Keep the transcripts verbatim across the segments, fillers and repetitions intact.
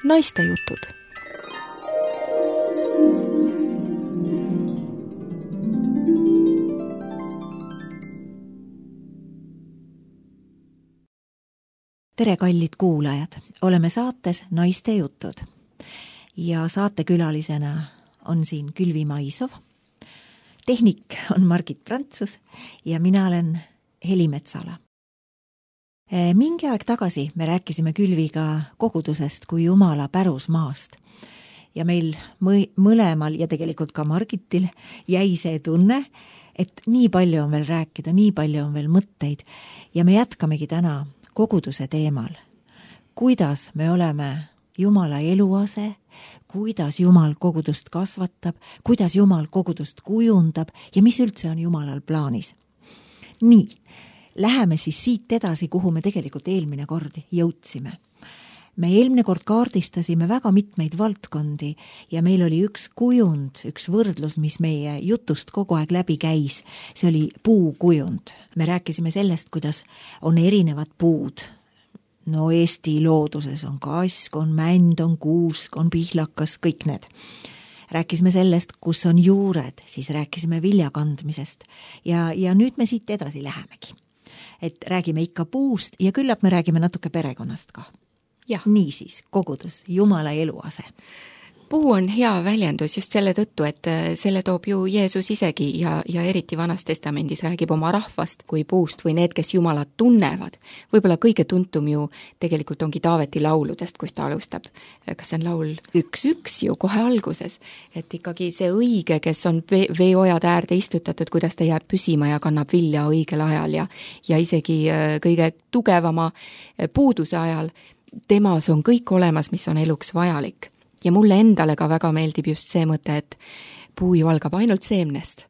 Naistejutud. Tere, kallid kuulajad! Oleme saates Naistejutud ja saatekülalisena on siin Külvi Maisov. Tehnik on Margit Prantsus ja mina olen Heli Metsala. Mingi aeg tagasi me rääkisime Külviga kogudusest kui Jumala pärusmaast ja meil mõlemal ja tegelikult ka Margitil jäi see tunne, et nii palju on veel rääkida, nii palju on veel mõtteid ja me jätkamegi täna koguduse teemal. Kuidas me oleme Jumala eluase, kuidas Jumal kogudust kasvatab, kuidas Jumal kogudust kujundab ja mis üldse on Jumalal plaanis. Nii, läheme siis siit edasi, kuhu me tegelikult eelmine kord jõudsime. Me eelmine kord kaardistasime väga mitmeid valdkondi ja meil oli üks kujund, üks võrdlus, mis meie jutust kogu aeg läbi käis. See oli puukujund. Me rääkisime sellest, kuidas on erinevad puud. No Eesti looduses on kask, on mänd, on kuusk, on pihlakas, kõik need. Rääkisime sellest, kus on juured, siis rääkisime viljakandmisest ja, ja nüüd me siit edasi lähemegi. Et räägime ikka puust ja küllap me räägime natuke perekonnast ka. Ja. Niisiis, kogudus, Jumala eluase. Puu on hea väljendus just selle tõttu, et selle toob ju Jeesus isegi ja, ja eriti Vanas Testamendis räägib oma rahvast kui puust või need, kes Jumalat tunnevad. Võib-olla kõige tuntum ju tegelikult ongi Taaveti lauludest, kus ta alustab. Kas see on laul? Üks. Üks ju kohe alguses. Et ikkagi see õige, kes on veeojad äärde istutatud, kuidas ta jääb püsima ja kannab vilja õigel ajal ja, ja isegi kõige tugevama puuduse ajal temas on kõik olemas, mis on eluks vajalik. Ja mulle endale ka väga meeldib just see mõte, et puu ju algab ainult seemnest.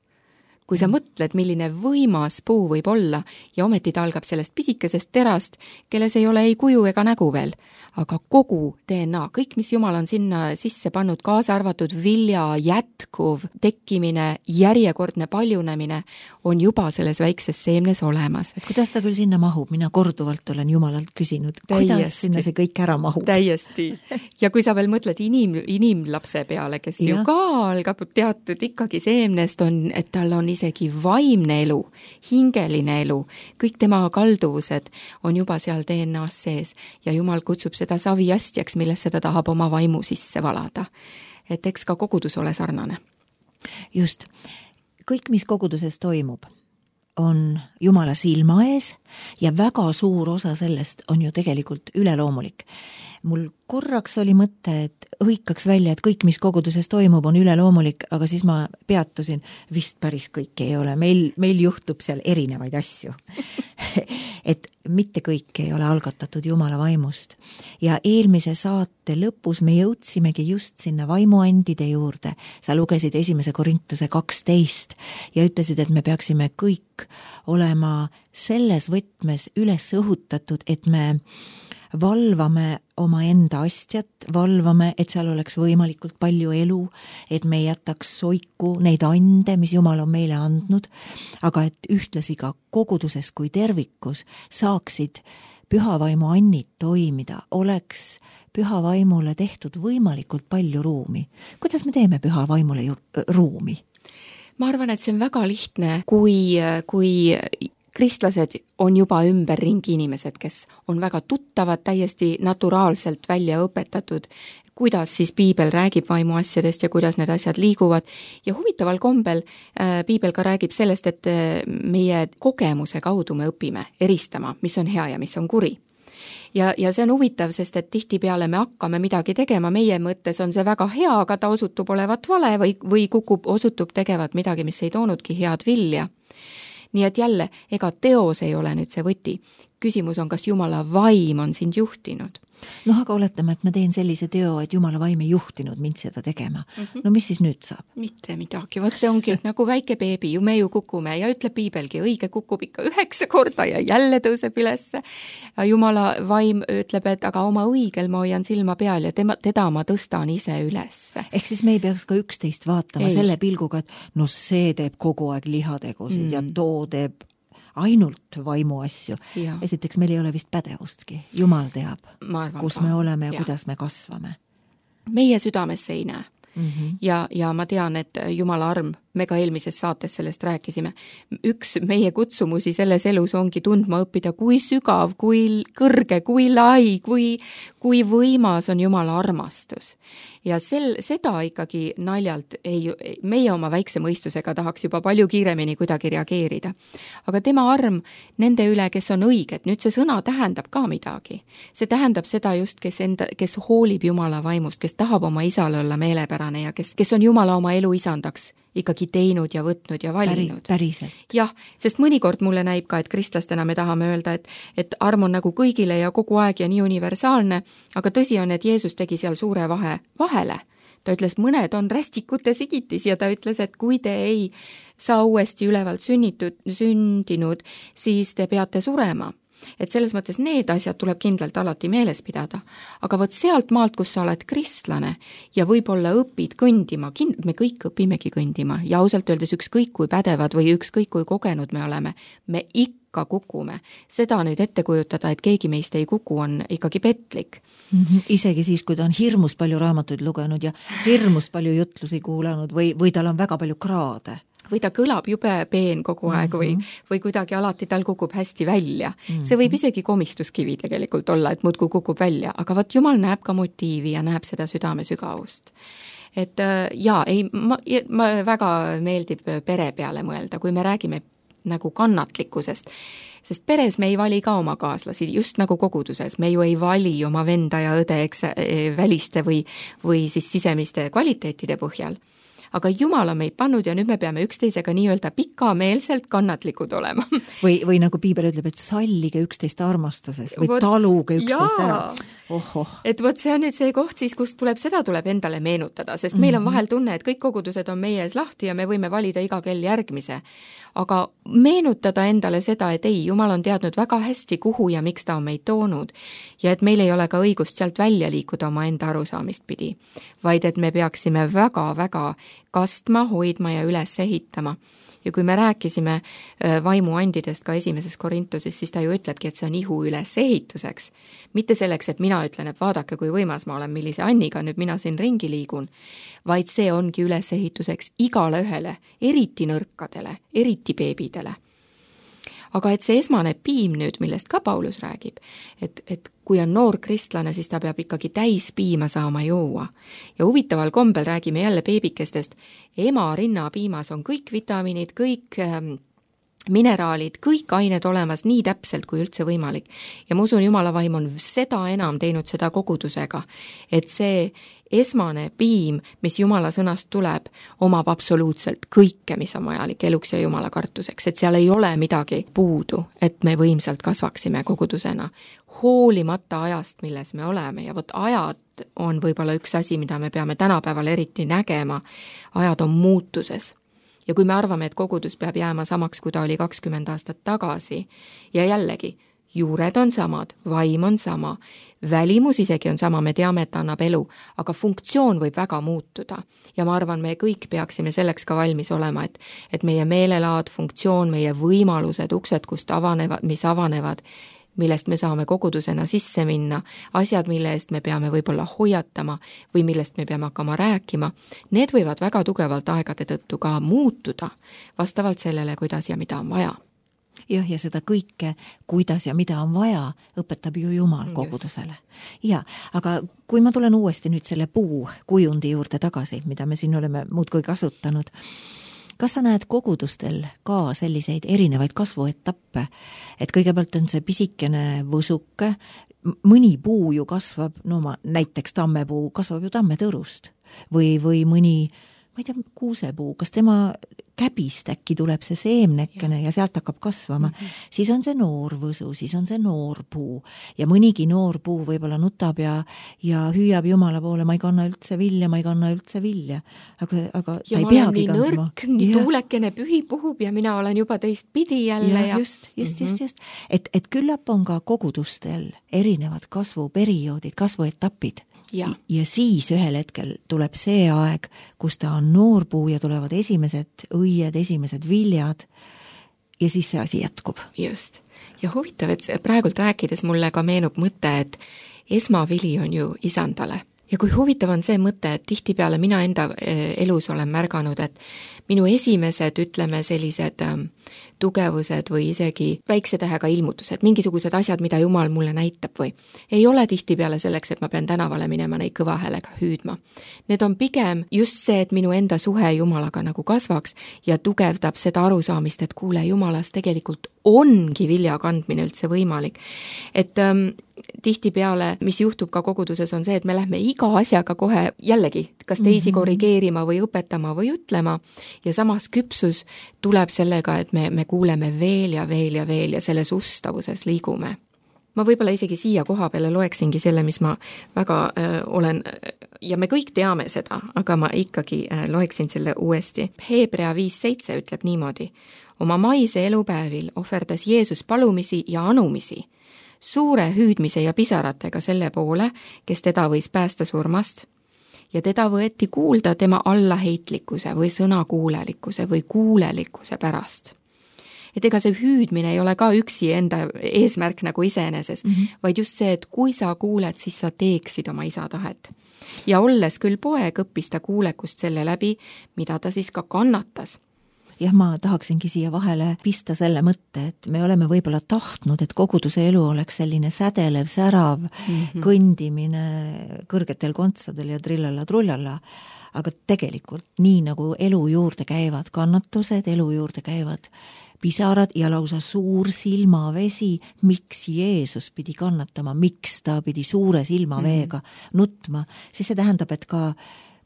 Kui sa mõtled, milline võimas puu võib olla ja ometi ta algab sellest pisikesest terast, kelles ei ole ei kuju ega nägu veel, aga kogu D N A, kõik, mis Jumal on sinna sisse pannud, kaasa arvatud vilja, jätkuv, tekkimine, järjekordne paljunemine, on juba selles väikses seemnes olemas. Et kuidas ta küll sinna mahub? Mina korduvalt olen Jumalalt küsinud, kuidas täiesti, sinna see kõik ära mahub? Täiesti. Ja kui sa veel mõtled inim, inimlapse peale, kes ja. ju ka algab teatud ikkagi seemnest on, et tal on isegi vaimne elu, hingeline elu, kõik tema kalduvused on juba seal D N A-s sees ja Jumal kutsub seda saviastjaks, millesse ta tahab oma vaimu sisse valada. Et eks ka kogudus ole sarnane. Just. Kõik, mis koguduses toimub, on Jumala silma ees ja väga suur osa sellest on ju tegelikult üleloomulik. Mul korraks oli mõte, et hõikaks välja, et kõik, mis koguduses toimub, on üleloomulik, aga siis ma peatusin, vist päris kõik ei ole. Meil, meil juhtub seal erinevaid asju. Et mitte kõik ei ole algatatud Jumala vaimust. Ja eelmise saate lõpus me jõudsimegi just sinna vaimuandide juurde. Sa lugesid esimese Korintuse kaksteist ja ütlesid, et me peaksime kõik olema selles võtmes üles õhutatud, et me valvame oma enda astjat, valvame, et seal oleks võimalikult palju elu, et me jätaks soiku neid ande, mis Jumal on meile andnud, aga et ühtlasi ka koguduses kui tervikus saaksid pühavaimu annid toimida, oleks pühavaimule tehtud võimalikult palju ruumi. Kuidas me teeme pühavaimule ju, ruumi? Ma arvan, et see on väga lihtne, kui, kui kristlased on juba ümberringi inimesed, kes on väga tuttavad, täiesti naturaalselt välja õpetatud, kuidas siis piibel räägib vaimuasjadest ja kuidas need asjad liiguvad. Ja huvitaval kombel äh, piibel ka räägib sellest, et meie kogemuse kaudu me õpime eristama, mis on hea ja mis on kuri. Ja, ja see on huvitav, sest et tihtipeale me hakkame midagi tegema, meie mõttes on see väga hea, aga ta osutub olevat vale või, või kukub, osutub tegevat midagi, mis ei toonudki head vilja. Nii et jälle, ega teos ei ole nüüd see võti. Küsimus on, kas Jumala vaim on sind juhtinud. noh, aga oletame, et ma teen sellise teo, et Jumala vaim ei juhtinud mind seda tegema. Mm-hmm. No mis siis nüüd saab? Mitte midagi, vot see ongi nagu väike beebi, ju me ju kukume ja ütleb piibelgi, õige kukub ikka üheksa korda ja jälle tõuseb ülesse. Jumala vaim ütleb, et aga oma õigel ma hoian silma peal ja tema, teda ma tõstan ise ülesse. Ehk siis me ei peaks ka üksteist vaatama ei. Selle pilguga, et no see teeb kogu aeg lihategusid mm. ja too teeb ainult vaimu asju. Ja. Esiteks meil ei ole vist pädevustki. Jumal teab, arvan, kus ka. me oleme ja, ja kuidas me kasvame. Meie südamesse ei näe. Mm-hmm. Ja, ja ma tean, et Jumala arm, me ka eelmises saates sellest rääkisime, üks meie kutsumusi selles elus ongi tundma õppida, kui sügav, kui kõrge, kui lai, kui, kui võimas on Jumala armastus. Ja sel, seda ikkagi naljalt ei, meie oma väikse mõistusega tahaks juba palju kiiremini kuidagi reageerida. Aga tema arm nende üle, kes on õiged, nüüd see sõna tähendab ka midagi. See tähendab seda just, kes, enda, kes hoolib Jumala vaimust, kes tahab oma isale olla meelepärane ja kes, kes on Jumala oma elu isandaks ikkagi teinud ja võtnud ja valinud. Päriselt. Jah, sest mõnikord mulle näib ka, et kristlastena me tahame öelda, et, et arm on nagu kõigile ja kogu aeg ja nii universaalne, aga tõsi on, et Jeesus tegi seal suure vahe vahele. Ta ütles, mõned on rästikute sigitis ja ta ütles, et kui te ei saa uuesti ülevalt sünnitud, sündinud, siis te peate surema. Et selles mõttes need asjad tuleb kindlalt alati meeles pidada. Aga võt sealt maalt, kus sa oled kristlane ja võib-olla õpid kõndima, kind- me kõik õpimegi kõndima ja ausalt öeldes ükskõik kui pädevad või ükskõik kui kogenud me oleme, me ikka kukume. Seda nüüd ette kujutada, et keegi meist ei kuku, on ikkagi petlik. Mm-hmm. Isegi siis, kui ta on hirmus palju raamatuid lugenud ja hirmus palju jutlusi kuulanud või, või tal on väga palju kraade. Või ta kõlab jube peen kogu aeg või, või kuidagi alati tal kukub hästi välja. See võib isegi komistuskivi tegelikult olla, et muudkui kukub välja, aga võt Jumal näeb ka motiivi ja näeb seda südame sügavust. Et jaa, ei, ma, ma väga meeldib pere peale mõelda, kui me räägime nagu kannatlikkusest, sest peres me ei vali ka oma kaaslasi, just nagu koguduses, me ju ei vali oma venda ja õde eks, väliste või, või siis sisemiste kvaliteetide põhjal. Aga Jumal on meid pannud ja nüüd me peame üksteisega nii-öelda pikameelselt kannatlikud olema. Või, või nagu Piibel ütleb, et sallige üksteist armastuses või võt, taluge üksteist ära. Oh, oh. Et võt see on nüüd see koht siis, kust tuleb, seda tuleb endale meenutada, sest mm-hmm. meil on vahel tunne, et kõik kogudused on meie ees lahti ja me võime valida iga kell järgmise. Aga meenutada endale seda, et ei, Jumal on teadnud väga hästi, kuhu ja miks ta on meid toonud ja et meil ei ole ka õigust sealt välja liikuda oma enda arusaamist pidi, vaid et me peaksime väga-väga kastma, hoidma ja üles ehitama. Ja kui me rääkisime vaimuandidest ka esimeses Korintuses, siis ta ju ütlebki, et see on ihu üles ehituseks. Mitte selleks, et mina ütlen, et vaadake, kui võimas ma olen, millise Anniga nüüd mina siin ringi liigun, vaid see ongi üles ehituseks igale ühele, eriti nõrkadele, eriti beebidele. Aga et see esmane piim nüüd, millest ka Paulus räägib, et, et kui on noor kristlane, siis ta peab ikkagi täis piima saama juua. Ja huvitaval kombel räägime jälle beebikestest. Ema rinnapiimas on kõik vitamiinid, kõik ähm, mineraalid, kõik ained olemas nii täpselt kui üldse võimalik. Ja ma usun, Jumala vaim on seda enam teinud seda kogudusega, et see esmane piim, mis Jumala sõnast tuleb, omab absoluutselt kõike, mis on vajalik eluks ja Jumala kartuseks, et seal ei ole midagi puudu, et me võimsalt kasvaksime kogudusena, hoolimata ajast, milles me oleme ja vot ajad on võib-olla üks asi, mida me peame tänapäeval eriti nägema, ajad on muutuses. Ja kui me arvame, et kogudus peab jääma samaks, kui ta oli kakskümmend aastat tagasi ja jällegi, juured on samad, vaim on sama, välimus isegi on sama, me teame, et ta annab elu, aga funktsioon võib väga muutuda. Ja ma arvan, me kõik peaksime selleks ka valmis olema, et, et meie meelelaad, funktsioon, meie võimalused, uksed, kust avanevad, mis avanevad, millest me saame kogudusena sisse minna, asjad, mille eest me peame võib-olla hoiatama või millest me peame hakkama rääkima, need võivad väga tugevalt aegade tõttu ka muutuda vastavalt sellele, kuidas ja mida on vaja. Jah, ja seda kõike, kuidas ja mida on vaja, õpetab ju Jumal kogudusele. Ja, aga kui ma tulen uuesti nüüd selle puu kujundi juurde tagasi, mida me siin oleme muudkui kasutanud, kas sa näed kogudustel ka selliseid erinevaid kasvuetappe, et kõigepealt on see pisikene võsuke, mõni puu ju kasvab, no ma, näiteks tammepuu kasvab ju tammetõrust või, või mõni, ma ei tea, kuusepuu, kas tema käbist äkki tuleb see seemnekene ja, ja sealt hakkab kasvama, mm-hmm. siis on see noor võsu, siis on see noor puu ja mõnigi noor puu võib-olla nutab ja, ja hüüab Jumala poole, ma ei kanna üldse vilja, ma ei kanna üldse vilja, aga, aga ja ta ei peagi nii kandma. Nõrk, nii ja. Tuulekene pühi puhub ja mina olen juba teist pidi jälle. Ja, ja... just, just, mm-hmm. just, just. Et, et küllap on ka kogudustel erinevad kasvuperioodid, kasvuetapid. Ja. ja siis ühel hetkel tuleb see aeg, kus ta on noorpuu ja tulevad esimesed õied, esimesed viljad ja siis see asi jätkub. Just. Ja huvitav, et praegult rääkides mulle ka meenub mõte, et esmavili on ju isandale. Ja kui huvitav on see mõte, et tihtipeale mina enda elus olen märganud, et minu esimesed, ütleme, sellised ähm, tugevused või isegi väikse tähega ilmutused, mingisugused asjad, mida Jumal mulle näitab või ei ole tihtipeale selleks, et ma pean tänavale minema neid kõva häälega hüüdma. Need on pigem just see, et minu enda suhe Jumalaga nagu kasvaks ja tugevdab seda arusaamist, et kuule, Jumalas tegelikult ongi vilja kandmine üldse võimalik. Et ähm, tihtipeale, mis juhtub ka koguduses, on see, et me lähme iga asjaga kohe jällegi, kas teisi mm-hmm. korrigeerima või õpetama või ütlema ja samas küpsus tuleb sellega, et me, me kuuleme veel ja veel ja veel ja selles ustavuses liigume. Ma võib-olla isegi siia koha peale loeksingi selle, mis ma väga äh, olen ja me kõik teame seda, aga ma ikkagi äh, loeksin selle uuesti. Hebrea viis seitse ütleb niimoodi. Oma maise elupäevil ohverdas Jeesus palumisi ja anumisi, suure hüüdmise ja pisaratega selle poole, kes teda võis päästa surmast, ja teda võeti kuulda tema allaheitlikkuse või sõnakuulelikkuse või kuulelikkuse pärast. Et ega see hüüdmine ei ole ka üksi enda eesmärk nagu iseeneses, mm -hmm. vaid just see, et kui sa kuuled, siis sa teeksid oma isa tahet. Ja olles küll poeg, õppis ta kuulekust selle läbi, mida ta siis ka kannatas. Jah, ma tahaksingi siia vahele pista selle mõtte, et me oleme võib-olla tahtnud, et koguduse elu oleks selline sädelev, särav mm-hmm. kõndimine kõrgetel kontsadel ja trillalla-trullalla, aga tegelikult nii nagu elu juurde käivad kannatused, elu juurde käivad pisarad ja lausa suur silmavesi, miks Jeesus pidi kannatama, miks ta pidi suure silmaveega mm-hmm. nutma, siis see tähendab, et ka,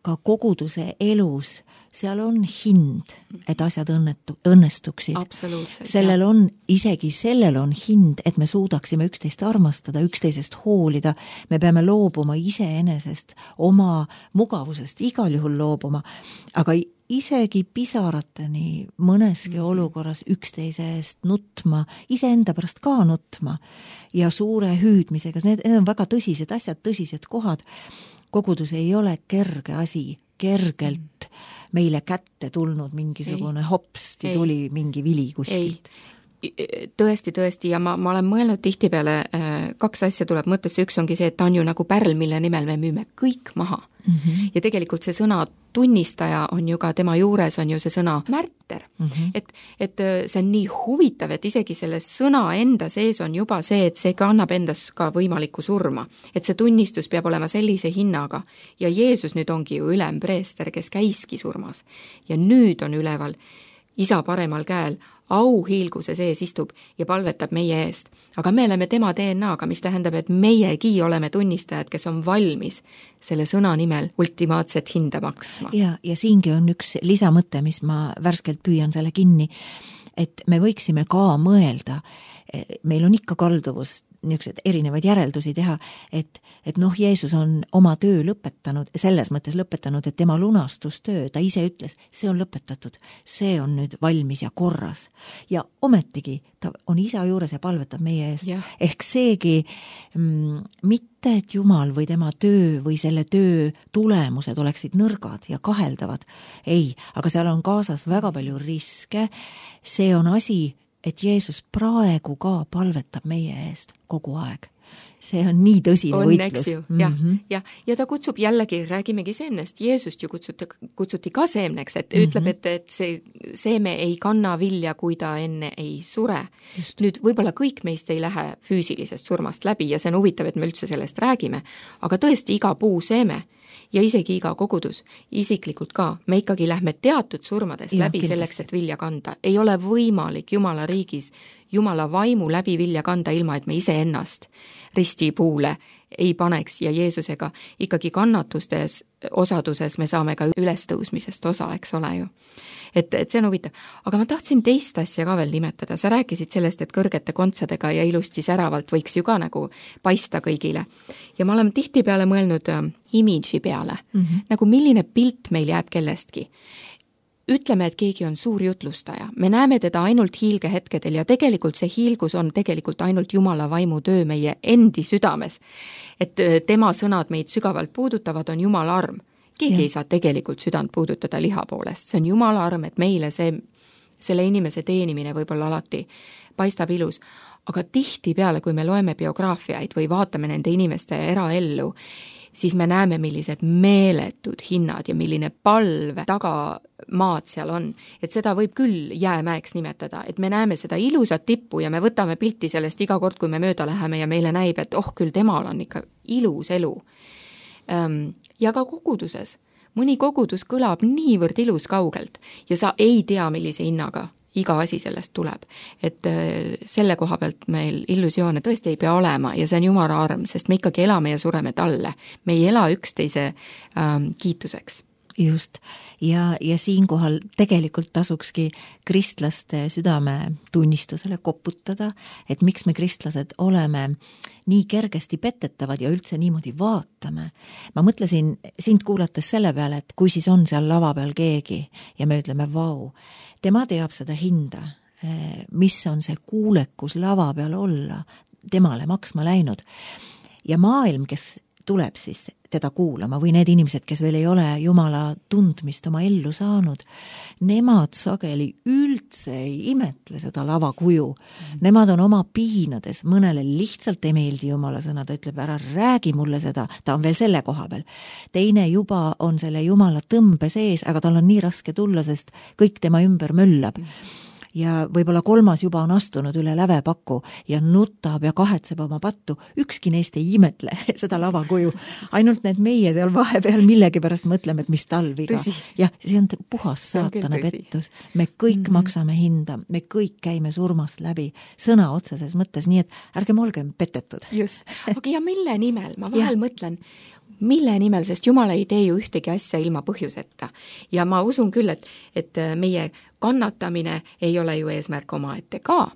ka koguduse elus seal on hind, et asjad õnnetu, õnnestuksid. Sellel jah. on, isegi sellel on hind, et me suudaksime üksteist armastada, üksteisest hoolida. Me peame loobuma iseenesest, oma mugavusest igal juhul loobuma, aga isegi pisarateni mõneski mm-hmm. olukorras üksteise eest nutma, iseenda pärast ka nutma ja suure hüüdmisega. Need, need on väga tõsised asjad, tõsised kohad. Kogudus ei ole kerge asi, kergelt mm. meile kätte tulnud mingisugune ei. hopsti ei. tuli mingi vili kuskilt. Tõesti, tõesti ja ma, ma olen mõelnud tihtipeale, kaks asja tuleb mõttesse, üks ongi see, et ta on ju nagu pärl, mille nimel me müüme kõik maha. Mm-hmm. Ja tegelikult see sõna tunnistaja on ju ka tema juures on ju see sõna märter. Mm-hmm. Et, et see on nii huvitav, et isegi selle sõna enda sees on juba see, et see kannab endas ka võimalikku surma. Et see tunnistus peab olema sellise hinnaga. Ja Jeesus nüüd ongi ju ülempreester, kes käiski surmas. Ja nüüd on üleval isa paremal käel auhiilguse sees istub ja palvetab meie eest. Aga me oleme tema D N A-ga, mis tähendab, et meiegi oleme tunnistajad, kes on valmis selle sõna nimel ultimaatset hinda maksma. Ja, ja siingi on üks lisamõte, mis ma värskelt püüan selle kinni, et me võiksime ka mõelda, meil on ikka kalduvus niisugused erinevaid järeldusi teha, et, et noh, Jeesus on oma töö lõpetanud, selles mõttes lõpetanud, et tema lunastustöö, ta ise ütles, see on lõpetatud, see on nüüd valmis ja korras. Ja ometigi ta on isa juures ja palvetab meie eest. Ja. Ehk seegi mm, mitte, et Jumal või tema töö või selle töö tulemused oleksid nõrgad ja kaheldavad. Ei, aga seal on kaasas väga palju riske. See on asi, et Jeesus praegu ka palvetab meie eest kogu aeg. See on nii tõsine on, võitlus. Mm-hmm. Ja, ja, ja ta kutsub jällegi, räägimegi seemnest, Jeesust ju kutsuti, kutsuti ka seemneks, et mm-hmm. ütleb, et, et see seeme ei kanna vilja, kui ta enne ei sure. Just. Nüüd võib-olla kõik meist ei lähe füüsilisest surmast läbi ja see on huvitav, et me üldse sellest räägime, aga tõesti iga puu seeme ja isegi iga kogudus, isiklikult ka, me ikkagi lähme teatud surmadest ja, läbi kindlasti. Selleks, et vilja kanda. Ei ole võimalik Jumala riigis Jumala vaimu läbi vilja kanda ilma, et me ise ennast ristipuule ei paneks ja Jeesusega ikkagi kannatustes osaduses me saame ka ülestõusmisest osa, eks ole ju. Et, et see on huvitav. Aga ma tahtsin teist asja ka veel nimetada. Sa rääkisid sellest, et kõrgete kontsadega ja ilusti säravalt võiks ju ka nagu paista kõigile. Ja ma olen tihti peale mõelnud imidži peale. Mm-hmm. Nagu milline pilt meil jääb kellestki. Ütleme, et keegi on suur jutlustaja. Me näeme teda ainult hiilgehetkedel ja tegelikult see hiilgus on tegelikult ainult Jumala vaimu töö meie endi südames. Et tema sõnad meid sügavalt puudutavad, on Jumala arm. Keegi ja. ei saa tegelikult südant puudutada liha poolest. See on Jumala arm, et meile see, selle inimese teenimine võib-olla alati paistab ilus, aga tihtipeale, kui me loeme biograafiaid või vaatame nende inimeste eraellu, siis me näeme, millised meeletud hinnad ja milline palv tagamaad seal on. Et seda võib küll jäämäeks nimetada, et me näeme seda ilusat tippu ja me võtame pilti sellest iga kord, kui me mööda läheme ja meile näib, et oh küll, temal on ikka ilus elu. Ja ka koguduses. Mõni kogudus kõlab niivõrd ilus kaugelt ja sa ei tea, millise hinnaga iga asi sellest tuleb. Et selle koha pealt meil illusioone tõesti ei pea olema ja see on Jumala arm, sest me ikkagi elame ja sureme talle. Me ei ela üksteise ähm, kiituseks. Just. Ja, ja siinkohal tegelikult tasukski kristlaste südame tunnistusele koputada, et miks me kristlased oleme nii kergesti petetavad ja üldse niimoodi vaatame. Ma mõtlesin sind kuulates selle peale, et kui siis on seal lava peal keegi ja me ütleme, vau, tema teab seda hinda, mis on see kuulekus lava peal olla, temale maksma läinud. Ja maailm, kes tuleb siis teda kuulama või need inimesed, kes veel ei ole Jumala tundmist oma ellu saanud, nemad sageli üldse ei imetle seda lavakuju. Mm. Nemad on oma piinades, mõnele lihtsalt ei meeldi Jumala sõna, ta ütleb, ära räägi mulle seda, ta on veel selle koha peal. Teine juba on selle Jumala tõmbe sees, aga tal on nii raske tulla, sest kõik tema ümber möllab. Mm. Ja võib-olla kolmas juba on astunud üle lävepaku ja nutab ja kahetseb oma pattu. Ükski neist ei imetle seda lavakuju. Ainult need meie seal vahepeal millegi pärast mõtleme, et mis talviga. Ja see on puhas saatana pettus. Me kõik mm-hmm. maksame hinda, me kõik käime surmast läbi sõna otseses mõttes, nii et ärgem olgem petetud. Just. Aga ja mille nimel? Ma vahel mõtlen, mille nimel, sest Jumal ei tee ju ühtegi asja ilma põhjuseta. Ja ma usun küll, et, et meie kannatamine ei ole ju eesmärk omaette ka,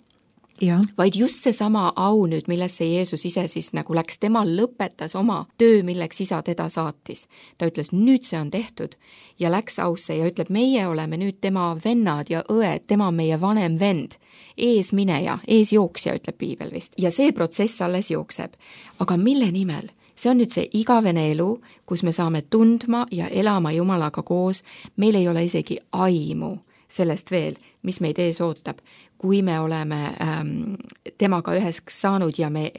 ja. Vaid just see sama au nüüd, millesse Jeesus ise siis nagu läks, tema lõpetas oma töö, milleks isa teda saatis. Ta ütles, nüüd see on tehtud ja läks ausse ja ütleb, meie oleme nüüd tema vennad ja õed, tema on meie vanem vend, eesmineja, eesjooksja, ütleb piibel vist. Ja see protsess alles jookseb. Aga mille nimel? See on nüüd see igavene elu, kus me saame tundma ja elama Jumalaga koos. Meil ei ole isegi aimu sellest veel, mis meid ees ootab, kui me oleme ähm, temaga üheks saanud ja me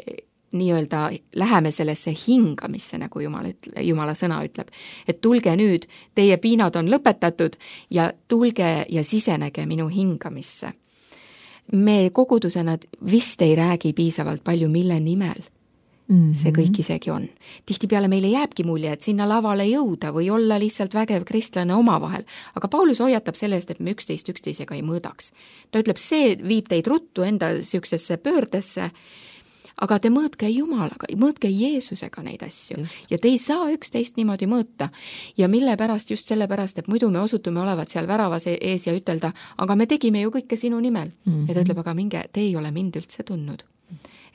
nii-öelda läheme sellesse hingamisse, nagu Jumal ütle, Jumala sõna ütleb. Et tulge nüüd, teie piinad on lõpetatud ja tulge ja sisenege minu hingamisse. Me kogudusena vist ei räägi piisavalt palju, mille nimel see kõik isegi on. Tihtipeale meile jääbki mulje, et sinna lavale jõuda või olla lihtsalt vägev kristlane omavahel, aga Paulus hoiatab selle eest, et me üksteist üksteisega ei mõõdaks. Ta ütleb, see viib teid ruttu enda siuksesse pöördesse, aga te mõõtke Jumalaga, mõõtke Jeesusega neid asju. Just. Ja te ei saa üksteist niimoodi mõõta. Ja mille pärast, just selle pärast, et muidu me osutume olevat seal väravas ees ja ütelda, aga me tegime ju kõike sinu nimel. Mm-hmm. Ja ta ütleb, aga minge, te ei ole mind üldse tundnud.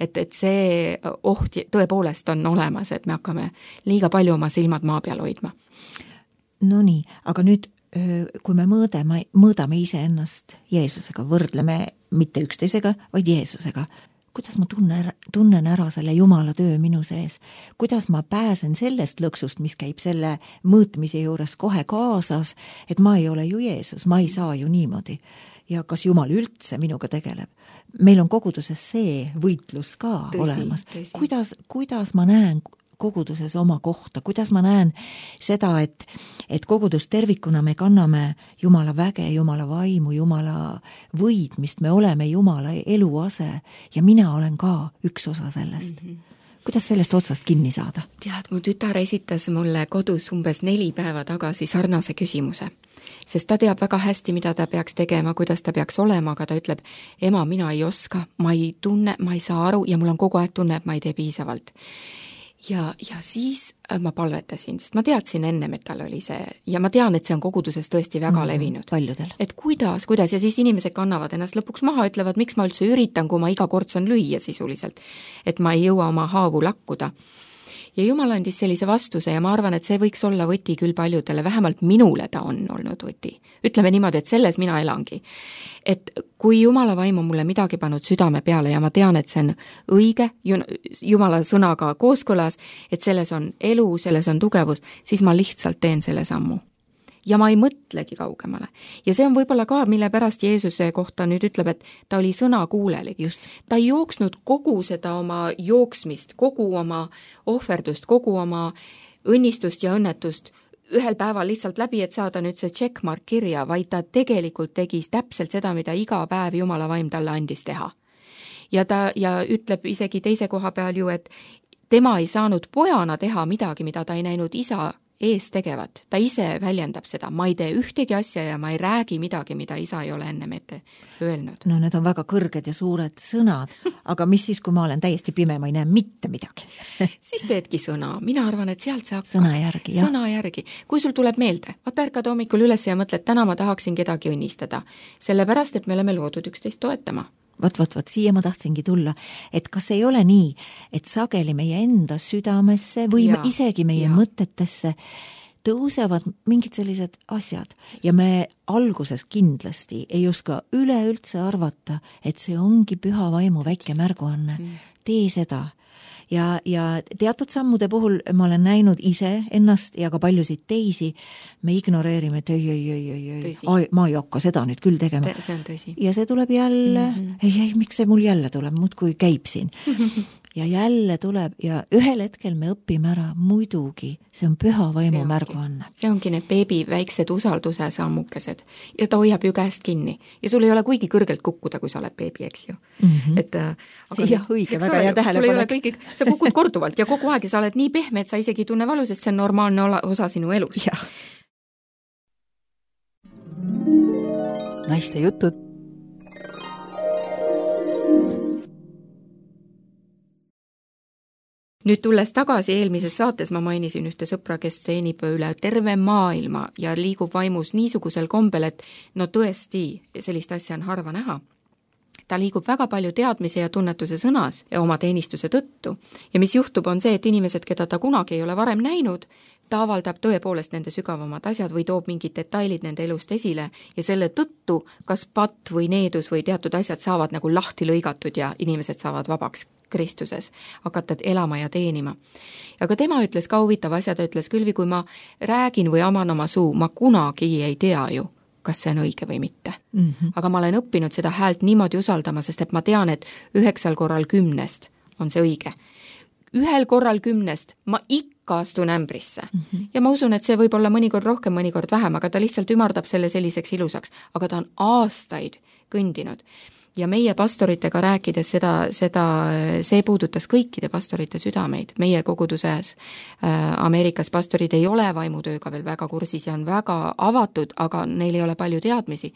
Et, et see oht tõepoolest on olemas, et me hakkame liiga palju oma silmad maa peal hoidma. No nii, aga nüüd, kui me mõõdame, mõõdame ise ennast Jeesusega, võrdleme mitte üksteisega, vaid Jeesusega. Kuidas ma tunnen, tunnen ära selle Jumala töö minu sees? Kuidas ma pääsen sellest lõksust, mis käib selle mõõtmise juures kohe kaasas, et ma ei ole ju Jeesus, ma ei saa ju niimoodi. Ja kas Jumal üldse minuga tegeleb? Meil on koguduses see võitlus ka tõsi, olemas. Tõsi. Kuidas, kuidas ma näen koguduses oma kohta, kuidas ma näen seda, et, et kogudus tervikuna me kanname Jumala väge, Jumala vaimu, Jumala võidmist, me oleme Jumala eluase ja mina olen ka üks osa sellest. Mm-hmm. Kuidas sellest otsast kinni saada? Tead, mu tütar esitas mulle kodus umbes neli päeva tagasi sarnase küsimuse, sest ta teab väga hästi, mida ta peaks tegema, kuidas ta peaks olema, aga ta ütleb, ema, mina ei oska, ma ei tunne, ma ei saa aru ja mul on kogu aeg tunne, et ma ei tee piisavalt. Ja, ja siis ma palvetasin, sest ma teadsin ennem, et tal oli see, ja ma tean, et see on koguduses tõesti väga mm, levinud. Paljudel. Et kuidas, kuidas, ja siis inimesed kannavad ennast lõpuks maha, ütlevad, miks ma üldse üritan, kui ma iga kord saan lüüa sisuliselt, et ma ei jõua oma haavu lakkuda. Ja Jumal andis sellise vastuse ja ma arvan, et see võiks olla võti küll paljudele, vähemalt minule ta on olnud võti. Ütleme niimoodi, et selles mina elangi. Et kui Jumala vaim on mulle midagi pannud südame peale ja ma tean, et see on õige, Jumala sõnaga kooskõlas, et selles on elu, selles on tugevus, siis ma lihtsalt teen selle sammu. ja ma ei mõtlegi kaugemale. Ja see on võib-olla ka, mille pärast Jeesuse kohta nüüd ütleb, et ta oli sõnakuulelik. Just. Ta ei jooksnud kogu seda oma jooksmist, kogu oma ohverdust, kogu oma õnnistust ja õnnetust ühel päeval lihtsalt läbi, et saada nüüd see checkmark kirja, vaid ta tegelikult tegi täpselt seda, mida iga päev Jumala vaim talle andis teha. Ja ta ja ütleb isegi teise koha peal ju, et tema ei saanud pojana teha midagi, mida ta ei näinud isa ees tegevat. Ta ise väljendab seda. Ma ei tee ühtegi asja ja ma ei räägi midagi, mida isa ei ole enne ette öelnud. No need on väga kõrged ja suured sõnad, aga mis siis, kui ma olen täiesti pime, ma ei näe mitte midagi? Siis teedki sõna. Mina arvan, et sealt see hakkab. Sõna järgi, jah. Sõna järgi. Kui sul tuleb meelde, vaata ärkad hommikul üles ja mõtled, täna ma tahaksin kedagi õnnistada. Sellepärast, et me oleme loodud üksteist toetama. Vot, vot, vot, siia ma tahtsingi tulla, et kas ei ole nii, et sageli meie enda südamesse või ja, isegi meie ja. mõtetesse tõusevad mingid sellised asjad ja me alguses kindlasti ei oska üleüldse arvata, et see ongi püha vaimu väike märguanne. Mm. Tee seda. Ja, ja teatud sammude puhul ma olen näinud ise ennast ja ka paljusid teisi, me ignoreerime, et ei, ei, ei, ei, ei, ma ei hakka seda nüüd küll tegema. See on tõsi. Ja see tuleb jälle, mm-hmm. ei, ei, miks see mul jälle tuleb, muud kui käib siin. Ja jälle tuleb ja ühel hetkel me õpime ära, muidugi, see on püha vaimu märguanne. See ongi need beebi väiksed usalduse sammukesed ja ta hoiab ju käest kinni ja sul ei ole kuigi kõrgelt kukkuda, kui sa oled beebi, eks ju. Mm-hmm. Et, aga jah, õige, väga hea tähelepanek. Kõigi, sa kukud korduvalt ja kogu aeg ja sa oled nii pehme, et sa isegi tunne valu, sest see on normaalne osa sinu elus. Ja. Naiste jutud. Nüüd tulles tagasi eelmises saates ma mainisin ühte sõpra, kes teenib üle terve maailma ja liigub vaimus niisugusel kombel, et no tõesti sellist asja on harva näha. Ta liigub väga palju teadmise ja tunnetuse sõnas ja oma teenistuse tõttu. Ja mis juhtub on see, et inimesed, keda ta kunagi ei ole varem näinud, ta avaldab tõepoolest nende sügavamad asjad või toob mingid detailid nende elust esile ja selle tõttu kas patt või needus või teatud asjad saavad nagu lahti lõigatud ja inimesed saavad vabaks Kristuses, hakata elama ja teenima. Aga tema ütles ka huvitav asja, ta ütles külvi, kui ma räägin või aman oma suu, ma kunagi ei tea ju, kas see on õige või mitte. Mm-hmm. Aga ma olen õppinud seda häält niimoodi usaldama, sest et ma tean, et üheksal korral kümnest on see õige. Ühel korral kümnest ma ikka astun ämbrisse. Mm-hmm. Ja ma usun, et see võib olla mõnikord rohkem, mõnikord vähem, aga ta lihtsalt ümardab selle selliseks ilusaks. Aga ta on aastaid kõndinud. Ja meie pastoritega rääkides seda, seda, see puudutas kõikide pastorite südameid. Meie koguduses äh, Ameerikas pastorid ei ole vaimutööga veel väga kursis ja on väga avatud, aga neil ei ole palju teadmisi.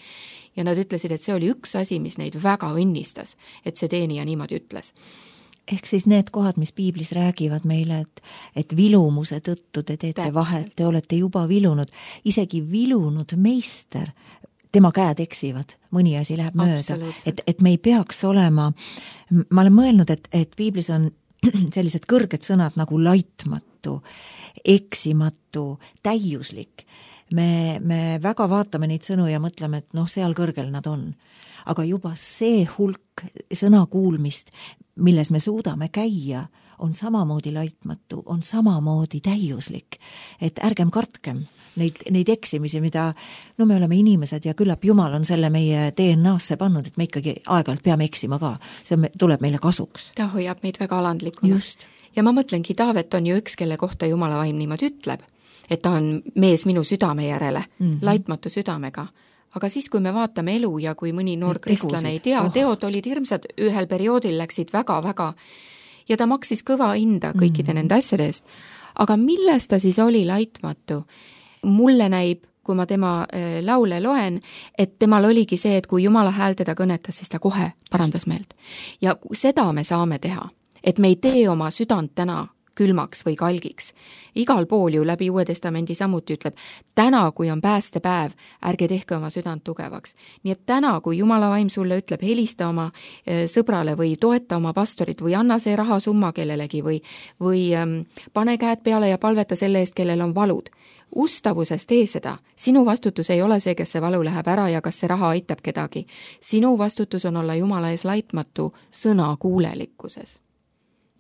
Ja nad ütlesid, et see oli üks asi, mis neid väga õnnistas, et see teenija niimoodi ütles. Ehk siis need kohad, mis piiblis räägivad meile, et, et vilumuse tõttu te teete Täpselt. Vahet, te olete juba vilunud, isegi vilunud meister, tema käed eksivad, mõni asi läheb mööda, et, et me ei peaks olema, ma olen mõelnud, et, et piiblis on sellised kõrged sõnad nagu laitmatu, eksimatu, täiuslik. Me, me väga vaatame neid sõnu ja mõtleme, et noh, seal kõrgel nad on. Aga juba see hulk sõna kuulmist, milles me suudame käia, on samamoodi laitmatu, on samamoodi täiuslik. Et ärgem kartkem neid, neid eksimisi, mida, no me oleme inimesed ja küllap Jumal on selle meie D N A-sse pannud, et me ikkagi aeg-ajalt peame eksima ka. See tuleb meile kasuks. Ta hoiab meid väga alandlikuna. Just. Ja ma mõtlengi, Taavet on ju üks, kelle kohta Jumala vaim niimoodi ütleb, et ta on mees minu südame järele, mm-hmm. laitmatu südamega. Aga siis, kui me vaatame elu ja kui mõni noor kristlane ei tea, oh. teod olid hirmsad, ühel perioodil läksid väga-väga ja ta maksis kõva hinda kõikide mm. nende asjade eest. Aga milles ta siis oli laitmatu? Mulle näib, kui ma tema laule loen, et temal oligi see, et kui Jumala hääl teda kõnetas, siis ta kohe parandas meelt. Ja seda me saame teha, et me ei tee oma südant täna külmaks või kalgiks. Igal pool ju läbi Uue Testamendi samuti ütleb, täna, kui on päästepäev, ärge tehke oma südant tugevaks. Nii et täna, kui Jumala vaim sulle ütleb, helista oma sõbrale või toeta oma pastorit või anna see rahasumma kellelegi või, või ähm, pane käed peale ja palveta selle eest, kellel on valud. Ustavuses tee seda. Sinu vastutus ei ole see, kes see valu läheb ära ja kas see raha aitab kedagi. Sinu vastutus on olla Jumala ees laitmatu sõna kuulelikkuses.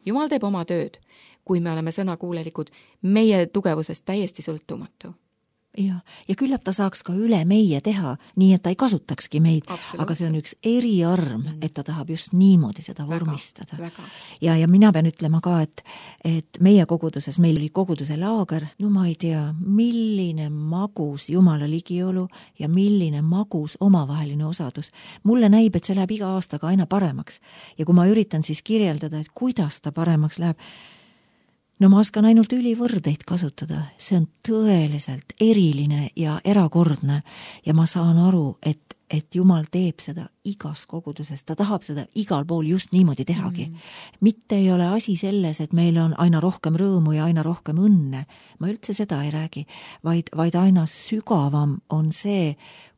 Jumal teeb oma tööd. Kui me oleme sõnakuulelikud, meie tugevusest täiesti sõltumatu. ja, ja küllap ta saaks ka üle meie teha, nii et ta ei kasutakski meid, aga see on üks eriarm, et ta tahab just niimoodi seda vormistada. Väga, väga. Ja, ja mina pean ütlema ka, et, et meie koguduses, meil oli koguduse laager, no ma ei tea, milline magus Jumala ligiolu ja milline magus omavaheline osadus. Mulle näib, et see läheb iga aastaga aina paremaks. Ja kui ma üritan siis kirjeldada, et kuidas ta paremaks läheb, no ma oskan ainult ülivõrdeid kasutada, see on tõeliselt eriline ja erakordne ja ma saan aru, et, et Jumal teeb seda igas koguduses, ta tahab seda igal pool just niimoodi tehagi. Mm. Mitte ei ole asi selles, et meil on aina rohkem rõõmu ja aina rohkem õnne, ma üldse seda ei räägi, vaid, vaid aina sügavam on see,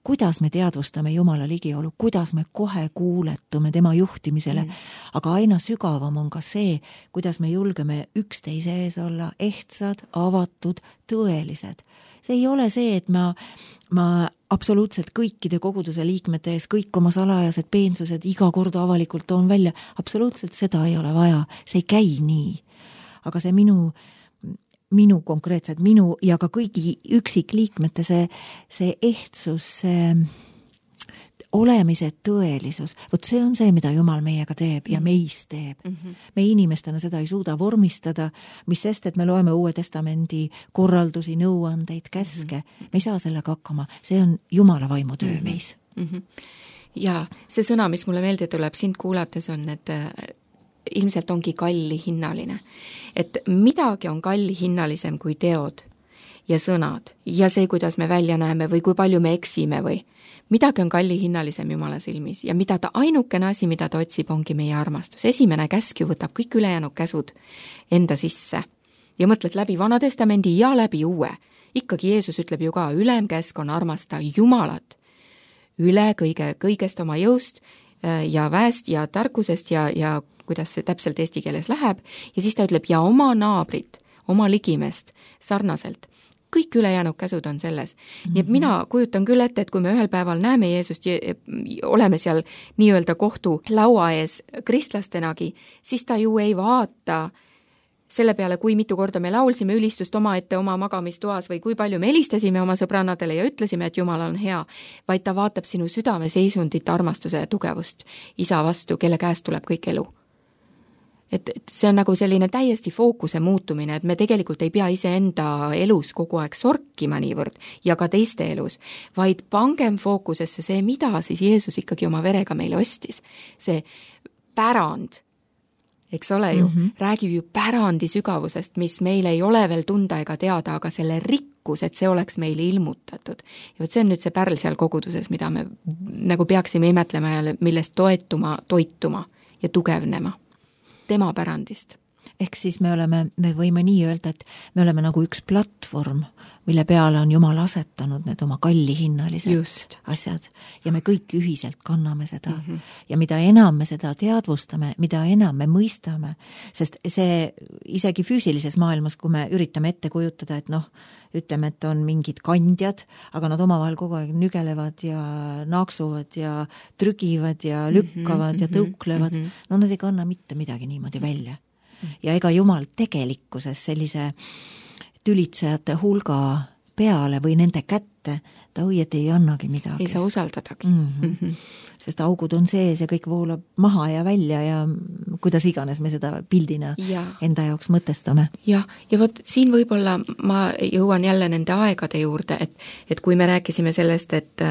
kuidas me teadvustame Jumala ligiolu, kuidas me kohe kuuletume tema juhtimisele, mm. aga aina sügavam on ka see, kuidas me julgeme üksteise ees olla ehtsad, avatud, tõelised. See ei ole see, et ma, ma absoluutselt kõikide koguduse liikmete ees kõik oma salajased peensused iga kord avalikult toon välja. Absoluutselt seda ei ole vaja, see ei käi nii. Aga see minu minu konkreetselt, minu ja ka kõigi üksikliikmete see, see ehtsus, see olemise tõelisus, vot see on see, mida Jumal meiega teeb ja meis teeb. Mm-hmm. Me inimestena seda ei suuda vormistada, mis sest, et me loeme Uue Testamendi korraldusi, nõuandeid, käske. Mm-hmm. Me ei saa sellega hakkama, see on Jumala vaimutöö mm-hmm. meis. Mm-hmm. Ja see sõna, mis mulle meelde tuleb sind kuulates on, et ilmselt ongi kallihinnaline. Et midagi on kallihinnalisem kui teod ja sõnad ja see, kuidas me välja näeme või kui palju me eksime või midagi on kallihinnalisem Jumala silmis ja mida ta ainukene asi, mida ta otsib, ongi meie armastus. Esimene käsk ju võtab kõik ülejäänud käsud enda sisse ja mõtled läbi Vana Testamendi ja läbi Uue. Ikkagi Jeesus ütleb ju ka, ülemkäsk on armasta Jumalat üle kõige, kõigest oma jõust ja väest ja tarkusest ja, ja kuidas see täpselt eesti keeles läheb, ja siis ta ütleb, ja oma naabrit, oma ligimest sarnaselt. Kõik ülejäänud käsud on selles. Mm-hmm. Nii et mina kujutan küll ette, et kui me ühel päeval näeme Jeesust, oleme seal nii-öelda kohtu laua ees kristlastenagi, siis ta ju ei vaata selle peale, kui mitu korda me laulsime ülistust oma ette oma magamistoas või kui palju me helistasime oma sõbrannadele ja ütlesime, et Jumal on hea, vaid ta vaatab sinu südame seisundit, armastuse ja tugevust isa vastu, kelle käest tuleb kõik elu. Et, et see on nagu selline täiesti fookuse muutumine, et me tegelikult ei pea iseenda elus kogu aeg sorkima niivõrd ja ka teiste elus, vaid pangem fookusesse see, mida siis Jeesus ikkagi oma verega meile ostis. See pärand, eks ole ju, mm-hmm. räägib ju pärandi sügavusest, mis meil ei ole veel tunda ega teada, aga selle rikkus, et see oleks meile ilmutatud. Ja võt see on nüüd see pärl seal koguduses, mida me nagu peaksime imetlema ja millest toetuma, toituma ja tugevnema. Tema pärandist. Ehk siis me oleme, me võime nii öelda, et me oleme nagu üks platvorm, mille peale on Jumal asetanud need oma kallihinnalised Just. asjad ja me kõik ühiselt kanname seda. Mm-hmm. Ja mida enam me seda teadvustame, mida enam me mõistame, sest see isegi füüsilises maailmas, kui me üritame ette kujutada, et noh, ütleme, et on mingid kandjad, aga nad omavahel kogu aeg nügelevad ja naaksuvad ja trügivad ja lükkavad mm-hmm, ja tõuklevad, mm-hmm. no nad ei kanna mitte midagi niimoodi välja. Ja ega Jumal tegelikkuses sellise tülitsejate hulga peale või nende kätte ta õieti ei annagi midagi. Ei saa usaldadagi. Mm-hmm. Mm-hmm. Sest augud on sees ja kõik voolab maha ja välja ja kuidas iganes me seda pildina ja. enda jaoks mõtestame. Ja, ja vot siin võib-olla ma jõuan jälle nende aegade juurde, et, et kui me rääkisime sellest, et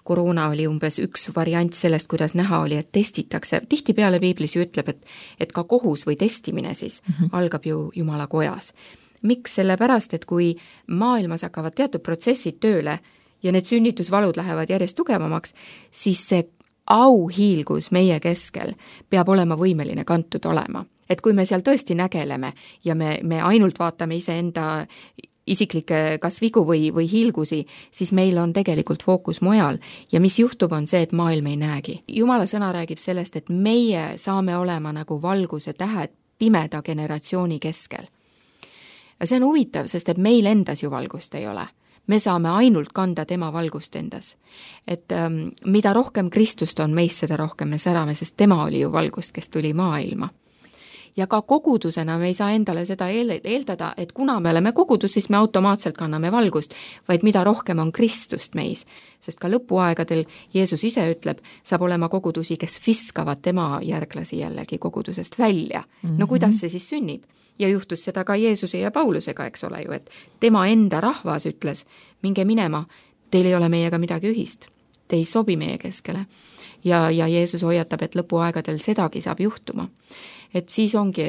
koroona oli umbes üks variant sellest, kuidas näha oli, et testitakse. Tihti peale Piiblis ju ütleb, et, et ka kohus või testimine siis mm-hmm. algab ju Jumala kojas. Miks? Sellepärast, et kui maailmas hakkavad teatud protsessid tööle ja need sünnitusvalud lähevad järjest tugevamaks, siis see auhiilgus meie keskel peab olema võimeline kantud olema. Et kui me seal tõesti nägeleme ja me, me ainult vaatame iseenda isiklikke kas vigu või, või hiilgusi, siis meil on tegelikult fookus mujal. Ja mis juhtub on see, et maailm ei näegi. Jumala sõna räägib sellest, et meie saame olema nagu valguse tähed pimeda generatsiooni keskel. Ja see on huvitav, sest et meil endas ju valgust ei ole. Me saame ainult kanda tema valgust endas. Et ähm, mida rohkem Kristust on meis, seda rohkem me särame, sest tema oli ju valgust, kes tuli maailma. ja ka kogudusena me ei saa endale seda eeldada, et kuna me oleme kogudus, siis me automaatselt kanname valgust, vaid mida rohkem on Kristust meis. Sest ka lõpuaegadel Jeesus ise ütleb, saab olema kogudusi, kes viskavad tema järglasi jällegi kogudusest välja. Mm-hmm. No kuidas see siis sünnib? Ja juhtus seda ka Jeesuse ja Paulusega, eks ole ju, et tema enda rahvas ütles, minge minema, teil ei ole meiega midagi ühist, te ei sobi meie keskele. Ja, ja Jeesus hoiatab, et lõpuaegadel sedagi saab juhtuma. Et siis ongi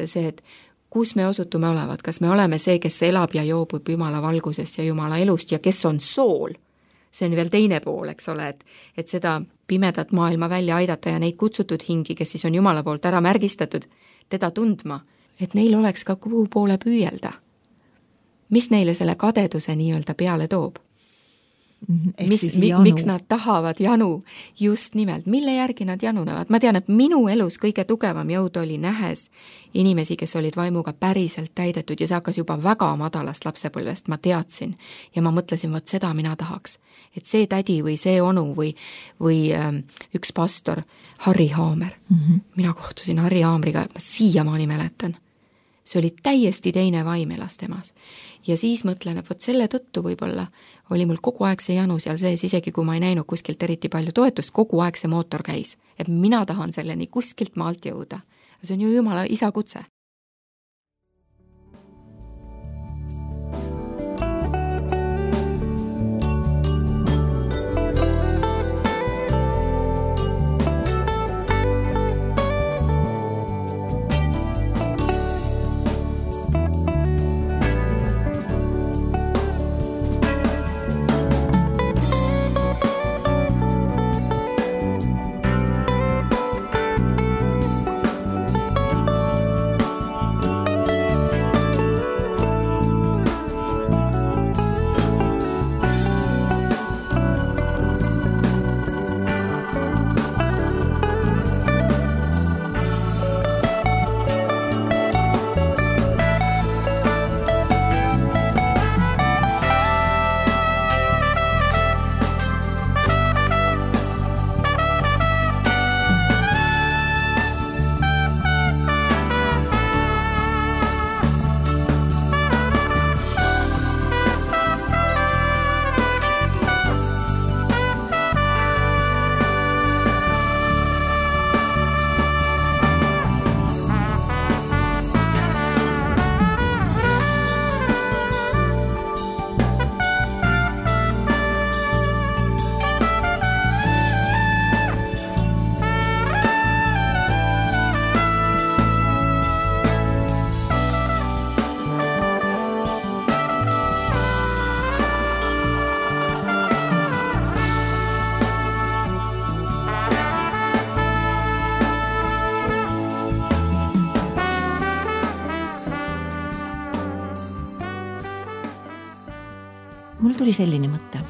see, et kus me osutume olevat, kas me oleme see, kes elab ja joobub Jumala valgusest ja Jumala elust ja kes on sool. See on veel teine pool, eks ole, et, et seda pimedat maailma välja aidata ja neid kutsutud hingi, kes siis on Jumala poolt ära märgistatud, teda tundma, et neil oleks ka kuhu poole püüelda. Mis neile selle kadeduse nii-öelda peale toob? Mis, mi, miks nad tahavad janu, just nimelt, mille järgi nad janunevad. Ma tean, et minu elus kõige tugevam jõud oli nähes inimesi, kes olid vaimuga päriselt täidetud ja see hakkas juba väga madalast lapsepõlvest, ma teadsin ja ma mõtlesin, võt seda mina tahaks. Et see tädi või see onu või, või ähm, üks pastor, Harri Haamer, mm-hmm. mina kohtusin Harri Haamriga, ma siiamaani mäletan. See oli täiesti teine vaim elas temas. Ja siis mõtlen, et võt selle tõttu võib-olla oli mul kogu aeg see janu seal sees, isegi kui ma ei näinud kuskilt eriti palju toetust, kogu aeg see mootor käis. Et mina tahan selleni kuskilt maalt jõuda. See on ju Jumala isa kutse. Mul tuli selline mõte.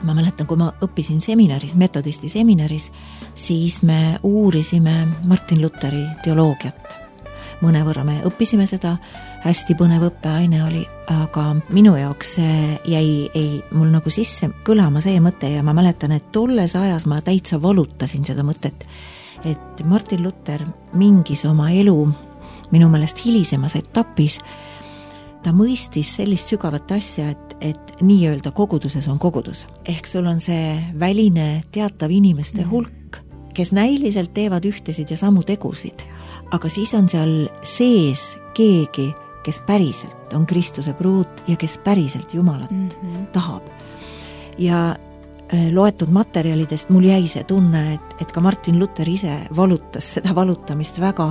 Ma mäletan, kui ma õppisin seminaris, metodisti seminaris, siis me uurisime Martin Lutheri teoloogiat. Mõnevõrra me õppisime seda, hästi põnev õppeaine oli, aga minu jaoks jäi ei, mul nagu sisse kõlama see mõte ja ma mäletan, et tolles ajas ma täitsa valutasin seda mõtet, et Martin Luther mingis oma elu, minu meelest hilisemas etapis, ta mõistis sellist sügavat asja, et, et nii-öelda koguduses on kogudus. Ehk sul on see väline teatav inimeste hulk, kes näiliselt teevad ühtesid ja samu tegusid, aga siis on seal sees keegi, kes päriselt on Kristuse pruut ja kes päriselt Jumalat mm-hmm. tahab. Ja loetud materjalidest mul jäi see tunne, et, et ka Martin Luther ise valutas seda valutamist väga,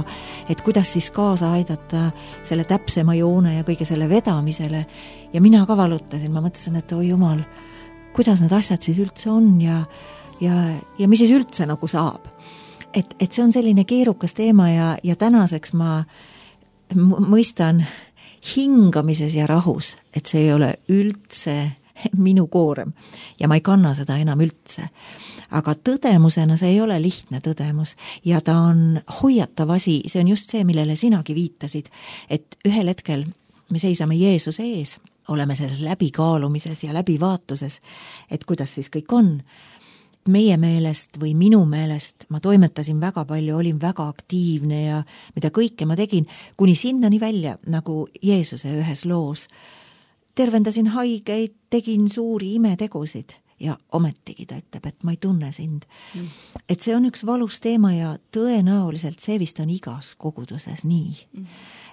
et kuidas siis kaasa aidata selle täpsema joone ja kõige selle vedamisele. Ja mina ka valutasin, ma mõtlesin, et oi Jumal, kuidas need asjad siis üldse on ja, ja, ja mis siis üldse nagu saab. Et, et see on selline keerukas teema ja, ja tänaseks ma mõistan hingamises ja rahus, et see ei ole üldse minu koorem ja ma ei kanna seda enam üldse. Aga tõdemusena see ei ole lihtne tõdemus ja ta on hoiatav asi, see on just see, millele sinagi viitasid, et ühel hetkel me seisame Jeesuse ees, oleme selles läbikaalumises ja läbivaatuses, et kuidas siis kõik on. meie meelest või minu meelest ma toimetasin väga palju, olin väga aktiivne ja mida kõike ma tegin, kuni sinnani välja, nagu Jeesuse ühes loos. Tervendasin haigeid, tegin suuri imetegusid ja ometigi ta ütleb, et ma ei tunne sind. Mm. Et see on üks valus teema ja tõenäoliselt see vist on igas koguduses nii. Mm.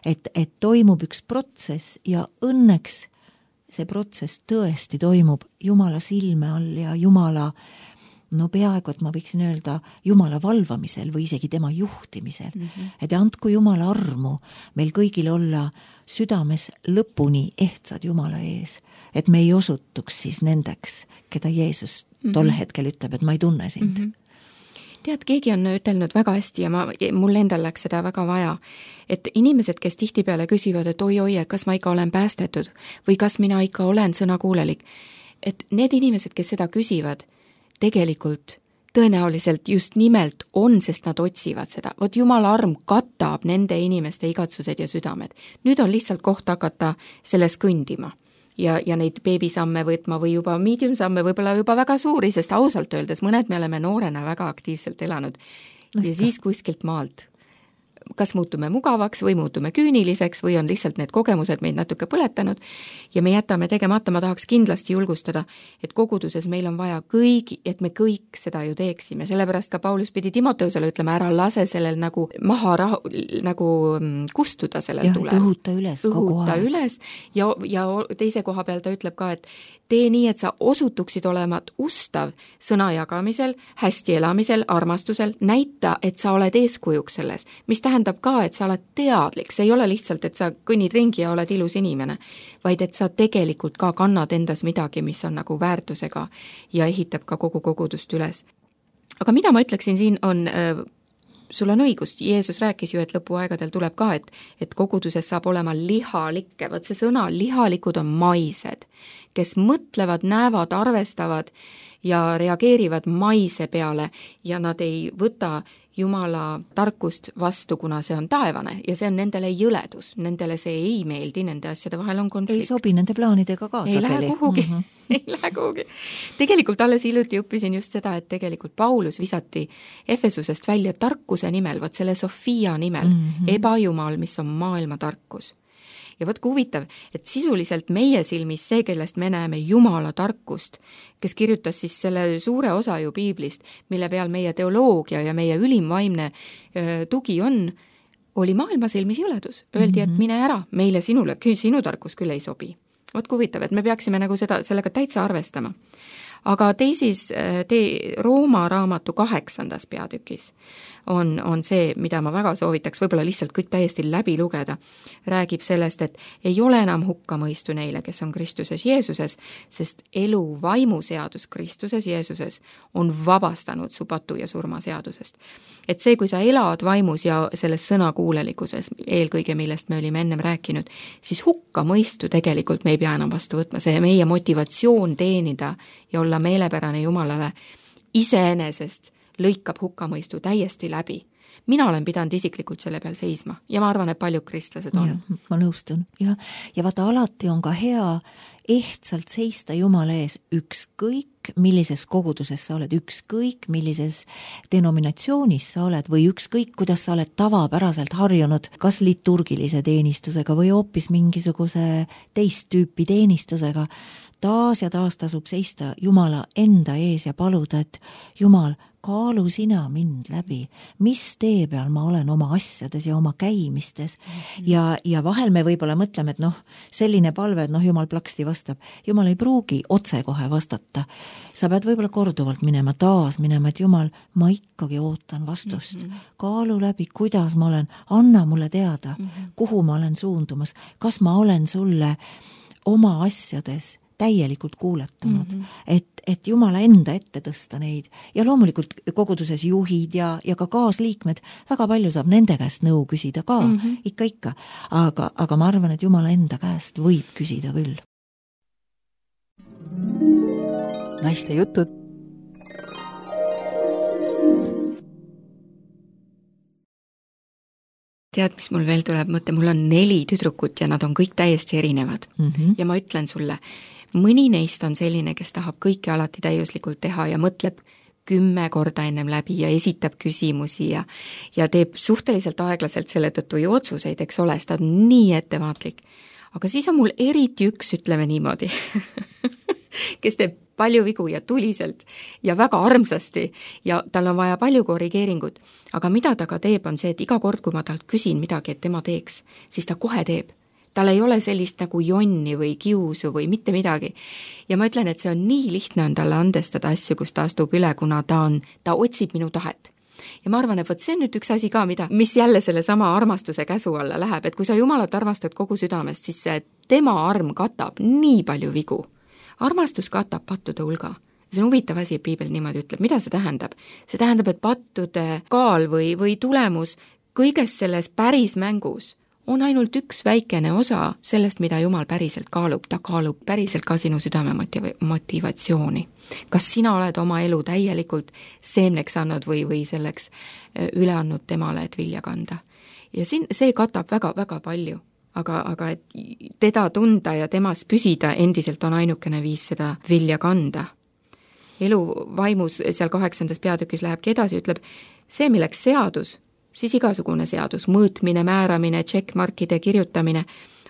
Et, et toimub üks protsess ja õnneks see protsess tõesti toimub Jumala silme all ja Jumala, no peaaegu, et ma võiksin öelda, Jumala valvamisel või isegi tema juhtimisel. Mm-hmm. Et andku Jumala armu meil kõigil olla südames lõpuni ehtsad Jumala ees, et me ei osutuks siis nendeks, keda Jeesus tol mm-hmm. hetkel ütleb, et ma ei tunne sind. Mm-hmm. Tead, keegi on ütelnud väga hästi ja ma, mul endal läks seda väga vaja, et inimesed, kes tihtipeale küsivad, et oi-oi, kas ma ikka olen päästetud või kas mina ikka olen sõnakuulelik, et need inimesed, kes seda küsivad, tegelikult tõenäoliselt just nimelt on, sest nad otsivad seda. Vot Jumala arm katab nende inimeste igatsused ja südamed. Nüüd on lihtsalt koht hakata selles kõndima. Ja, ja neid beebisamme võtma või juba mediumsamme võib-olla juba väga suuri, sest ausalt öeldes mõned me oleme noorena väga aktiivselt elanud no, ja siis kuskilt maalt. Kas muutume mugavaks või muutume küüniliseks või on lihtsalt need kogemused meid natuke põletanud ja me jätame tegemata, ma tahaks kindlasti julgustada, et koguduses meil on vaja kõigi, et me kõik seda ju teeksime, sellepärast ka Paulus pidi Timoteusele ütlema, ära lase sellel nagu maha rahu, nagu kustuda sellel tulel. Ja õhuta üles kogu aeg. Üles ja, ja teise koha peal ta ütleb ka, et tee nii, et sa osutuksid olema ustav sõna jagamisel, hästi elamisel, armastusel, näita, et sa oled eeskujuks selles, mis tähendab ka, et sa oled teadlik, see ei ole lihtsalt, et sa kõnnid ringi ja oled ilus inimene, vaid et sa tegelikult ka kannad endas midagi, mis on nagu väärtusega ja ehitab ka kogu kogudust üles. Aga mida ma ütleksin siin on, äh, sul on õigust, Jeesus rääkis ju, et lõpuaegadel tuleb ka, et, et koguduses saab olema lihalikke, võt see sõna, lihalikud on maised, kes mõtlevad, näevad, arvestavad ja reageerivad maise peale ja nad ei võta Jumala tarkust vastu, kuna see on taevane ja see on nendele jõledus, nendele see ei meeldi, nende asjade vahel on konflikt. Ei sobi nende plaanidega ka ei sageli. Lähe kuhugi, mm-hmm. ei lähe kuhugi. Tegelikult alles hiljuti õppisin just seda, et tegelikult Paulus visati Efesusest välja tarkuse nimel, võt selle Sofia nimel, mm-hmm. ebajumal, mis on maailma tarkus. Ja võt kui huvitav, et sisuliselt meie silmis see, kellest me näeme Jumala tarkust, kes kirjutas siis selle suure osa ju piiblist, mille peal meie teoloogia ja meie ülimvaimne öö, tugi on, oli maailma silmis jõledus. Öeldi, et mine ära, meile sinule, sinu tarkus küll ei sobi. Võt kui huvitav, et me peaksime nagu seda, sellega täitsa arvestama. Aga teisis tee Rooma raamatu kaheksandas peatükis on, on see, mida ma väga soovitaks, võib-olla lihtsalt kõik täiesti läbi lugeda, räägib sellest, et ei ole enam hukkamõistu neile, kes on Kristuses Jeesuses, sest elu vaimuseadus Kristuses Jeesuses on vabastanud su patu ja surma seadusest. Et see, kui sa elad vaimus ja selles sõnakuulelikkuses, eelkõige millest me olime ennem rääkinud, siis hukkamõistu tegelikult me ei pea enam vastu võtma, see meie motivatsioon teenida ja olla meelepärane Jumalale iseenesest lõikab hukkamõistu täiesti läbi. Mina olen pidanud isiklikult selle peal seisma ja ma arvan, et paljud kristlased on. Ja, ma nõustun. Ja, ja vaata, alati on ka hea ehtsalt seista Jumala ees ükskõik, millises koguduses sa oled, ükskõik, millises denominatsioonis sa oled või ükskõik, kuidas sa oled tavapäraselt harjunud, kas liturgilise teenistusega või hoopis mingisuguse teist tüüpi teenistusega. Taas ja taas tasub seista Jumala enda ees ja paluda, et Jumal, kaalu sina mind läbi, mis tee peal ma olen oma asjades ja oma käimistes mm-hmm. ja, ja vahel me võib-olla mõtleme, et noh, selline palve, et noh, Jumal plaksti vastab. Jumal ei pruugi otse kohe vastata. Sa pead võib-olla korduvalt minema, taas minema, et Jumal, ma ikkagi ootan vastust. Mm-hmm. Kaalu läbi, kuidas ma olen, anna mulle teada, mm-hmm. kuhu ma olen suundumas, kas ma olen sulle oma asjades täielikult kuuletunud, mm-hmm. et, et Jumala enda ette tõsta neid ja loomulikult koguduses juhid ja, ja ka kaasliikmed, väga palju saab nende käest nõu küsida ka, mm-hmm. ikka ikka, aga, aga ma arvan, et Jumala enda käest võib küsida küll. Naiste jutud. Tead, mis mul veel tuleb mõte, mul on neli tüdrukut ja nad on kõik täiesti erinevad mm-hmm. ja ma ütlen sulle, mõni neist on selline, kes tahab kõike alati täiuslikult teha ja mõtleb kümme korda ennem läbi ja esitab küsimusi ja, ja teeb suhteliselt aeglaselt selle tõttu ju otsuseid, eks ole, sest ta on nii ettevaatlik. Aga siis on mul eriti üks, ütleme niimoodi, kes teeb palju vigu ja tuliselt ja väga armsasti ja tal on vaja palju korrigeeringut. Aga mida ta ka teeb, on see, et iga kord, kui ma talt küsin midagi, et tema teeks, siis ta kohe teeb. Tal ei ole sellist nagu jonni või kiusu või mitte midagi. Ja ma ütlen, et see on nii lihtne on talle andestada asju, kus ta astub üle, kuna ta on, ta otsib minu tahet. Ja ma arvan, et võt see on nüüd üks asi ka, mida, mis jälle selle sama armastuse käsu alla läheb, et kui sa Jumalat armastad kogu südamest, siis see tema arm katab nii palju vigu. Armastus katab pattude hulga. See on huvitav asi, et piibel niimoodi ütleb. Mida see tähendab? See tähendab, et pattude kaal või, või tulemus kõiges selles päris mängus on ainult üks väikene osa sellest, mida Jumal päriselt kaalub. Ta kaalub päriselt ka sinu südame motivatsiooni. Kas sina oled oma elu täielikult seemneks andnud või, või selleks üle andnud temale, et vilja kanda. Ja siin see katab väga-väga palju. Aga, aga et teda tunda ja temas püsida endiselt on ainukene viis seda vilja kanda. Elu vaimus seal kaheksandas peatükis lähebki edasi, ütleb, see milleks seadus, siis igasugune seadus, mõõtmine, määramine, checkmarkide kirjutamine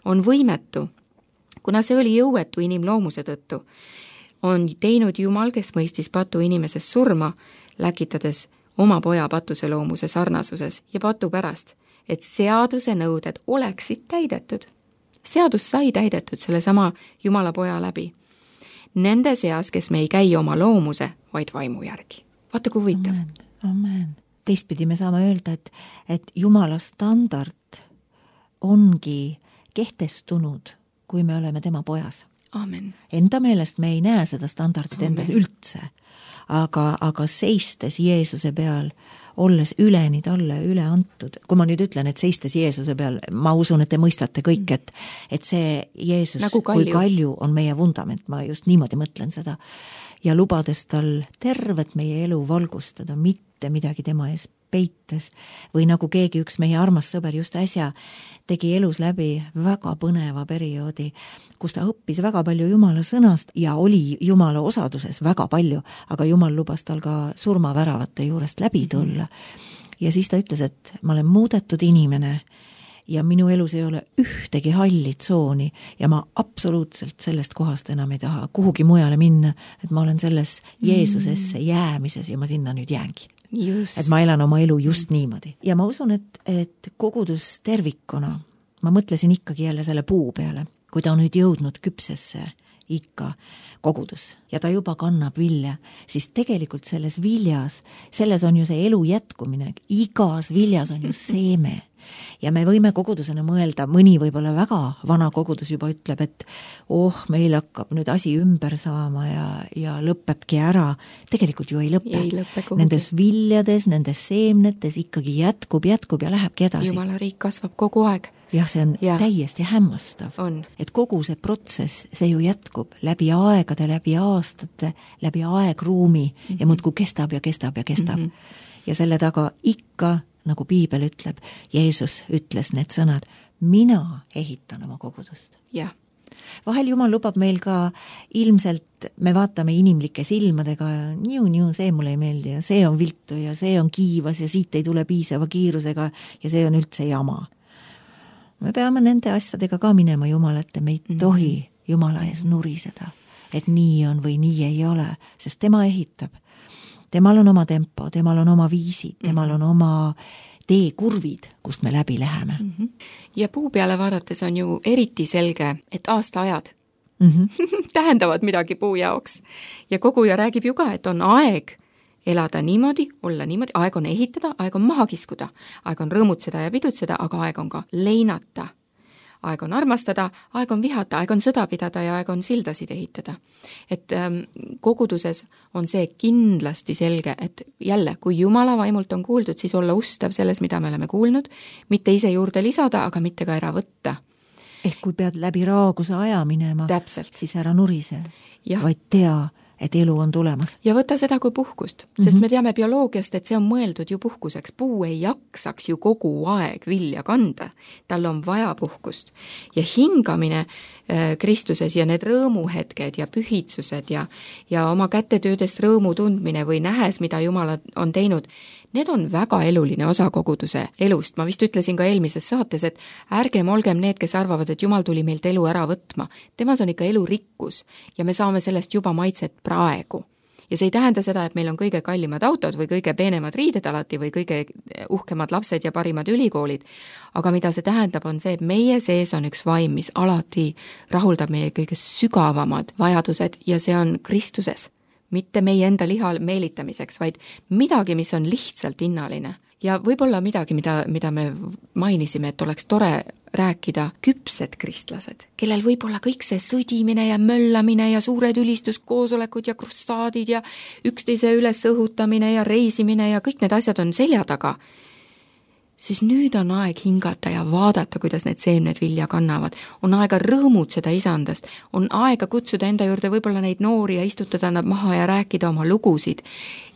on võimetu, kuna see oli jõuetu inimloomuse tõttu. On teinud Jumal, kes mõistis patu inimesest surma, läkitades oma poja patuse loomuse sarnasuses ja patu pärast, et seaduse nõuded oleksid täidetud. Seadus sai täidetud selle sama Jumala poja läbi. Nende seas, kes me ei käi oma loomuse, vaid vaimu järgi. Vaata, kui huvitav. Amen, amen. Teistpidi me saame öelda, et, et Jumala standard ongi kehtestunud, kui me oleme tema pojas. Amen. Enda meelest me ei näe seda standardit endas üldse, aga, aga seistes Jeesuse peal, olles üleni talle üle antud. Kui ma nüüd ütlen, et seistes Jeesuse peal, ma usun, et te mõistate kõik, et, et see Jeesus nagu kalju. Kui kalju on meie vundament, ma just niimoodi mõtlen seda. Ja lubades tal tervet meie elu valgustada, mitte midagi tema ees peites. Või nagu keegi üks meie armas sõber just äsja tegi elus läbi väga põneva perioodi, kus ta õppis väga palju Jumala sõnast ja oli Jumala osaduses väga palju, aga Jumal lubas tal ka surmaväravate juurest läbi tulla. Ja siis ta ütles, et ma olen muudetud inimene ja minu elus ei ole ühtegi halli tsooni ja ma absoluutselt sellest kohast enam ei taha kuhugi mujale minna, et ma olen selles Jeesusesse jäämises ja ma sinna nüüd jäängi. Just. Et ma elan oma elu just niimoodi. Ja ma usun, et, et kogudus tervikuna, ma mõtlesin ikkagi jälle selle puu peale, kui ta on nüüd jõudnud küpsesse ikka kogudus ja ta juba kannab vilja, siis tegelikult selles viljas, selles on ju see elu jätkumine, igas viljas on ju seeme. Ja me võime kogudusena mõelda, mõni võib-olla väga vana kogudus juba ütleb, et oh, meil hakkab nüüd asi ümber saama ja, ja lõpebki ära. Tegelikult ju ei lõpe. Ei lõpe nendes viljades, nendes seemnetes ikkagi jätkub, jätkub ja lähebki edasi. Jumala riik kasvab kogu aeg. Jah, see on ja. täiesti hämmastav. On. Et kogu see protsess, see ju jätkub läbi aegade, läbi aastate, läbi aegruumi mm-hmm. ja muudkui kestab ja kestab ja kestab. Mm-hmm. Ja selle taga ikka nagu piibel ütleb, Jeesus ütles need sõnad, mina ehitan oma kogudust. Ja. Vahel Jumal lubab meil ka ilmselt, me vaatame inimlike silmadega ja niu-niu, see mulle ei meeldi ja see on viltu ja see on kiivas ja siit ei tule piisava kiirusega ja see on üldse jama. Me peame nende asjadega ka minema Jumala ette, me ei mm-hmm. tohi Jumala ees nuriseda, et nii on või nii ei ole, sest tema ehitab. Temal on oma tempo, temal on oma viisid, temal on oma teekurvid, kust me läbi läheme. Mm-hmm. Ja puu peale vaadates on ju eriti selge, et aastaajad mm-hmm. tähendavad midagi puu jaoks. Ja koguja räägib ju ka, et on aeg elada niimoodi, olla niimoodi, aeg on ehitada, aeg on maha kiskuda, aeg on rõõmutseda ja pidutseda, aga aeg on ka leinata. Aeg on armastada, aeg on vihata, aeg on sõda pidada ja aeg on sildasid ehitada. Et ähm, koguduses on see kindlasti selge, et jälle, kui Jumala vaimult on kuuldud, siis olla ustav selles, mida me oleme kuulnud, mitte ise juurde lisada, aga mitte ka ära võtta. Ehk kui pead läbi raaguse aja minema, Täpselt. Siis ära nurise, ja. Vaid tea, et elu on tulemas. Ja võta seda kui puhkust, sest mm-hmm. me teame bioloogiast, et see on mõeldud ju puhkuseks. Puu ei jaksaks ju kogu aeg vilja kanda, tal on vaja puhkust. Ja hingamine äh, Kristuses ja need rõõmuhetked ja pühitsused ja, ja oma kätetöödest rõõmu tundmine või nähes, mida Jumal on teinud, need on väga eluline osa koguduse elust. Ma vist ütlesin ka eelmises saates, et ärgem olgem need, kes arvavad, et Jumal tuli meilt elu ära võtma. Temas on ikka elurikkus ja me saame sellest juba maitset praegu. Ja see ei tähenda seda, et meil on kõige kallimad autod või kõige peenemad riided alati või kõige uhkemad lapsed ja parimad ülikoolid. Aga mida see tähendab, on see, et meie sees on üks vaim, mis alati rahuldab meie kõige sügavamad vajadused ja see on Kristuses. Mitte meie enda liha meelitamiseks, vaid midagi, mis on lihtsalt hinnaline. Ja võib-olla midagi, mida, mida me mainisime, et oleks tore rääkida küpsed kristlased, kellel võib-olla kõik see sõdimine ja möllamine ja suured ülistuskoosolekud ja krussaadid ja üksteise üles õhutamine ja reisimine ja kõik need asjad on selja taga. Siis nüüd on aeg hingata ja vaadata, kuidas need seemned vilja kannavad. On aega rõõmutseda isandast, on aega kutsuda enda juurde võib-olla neid noori ja istutada nad maha ja rääkida oma lugusid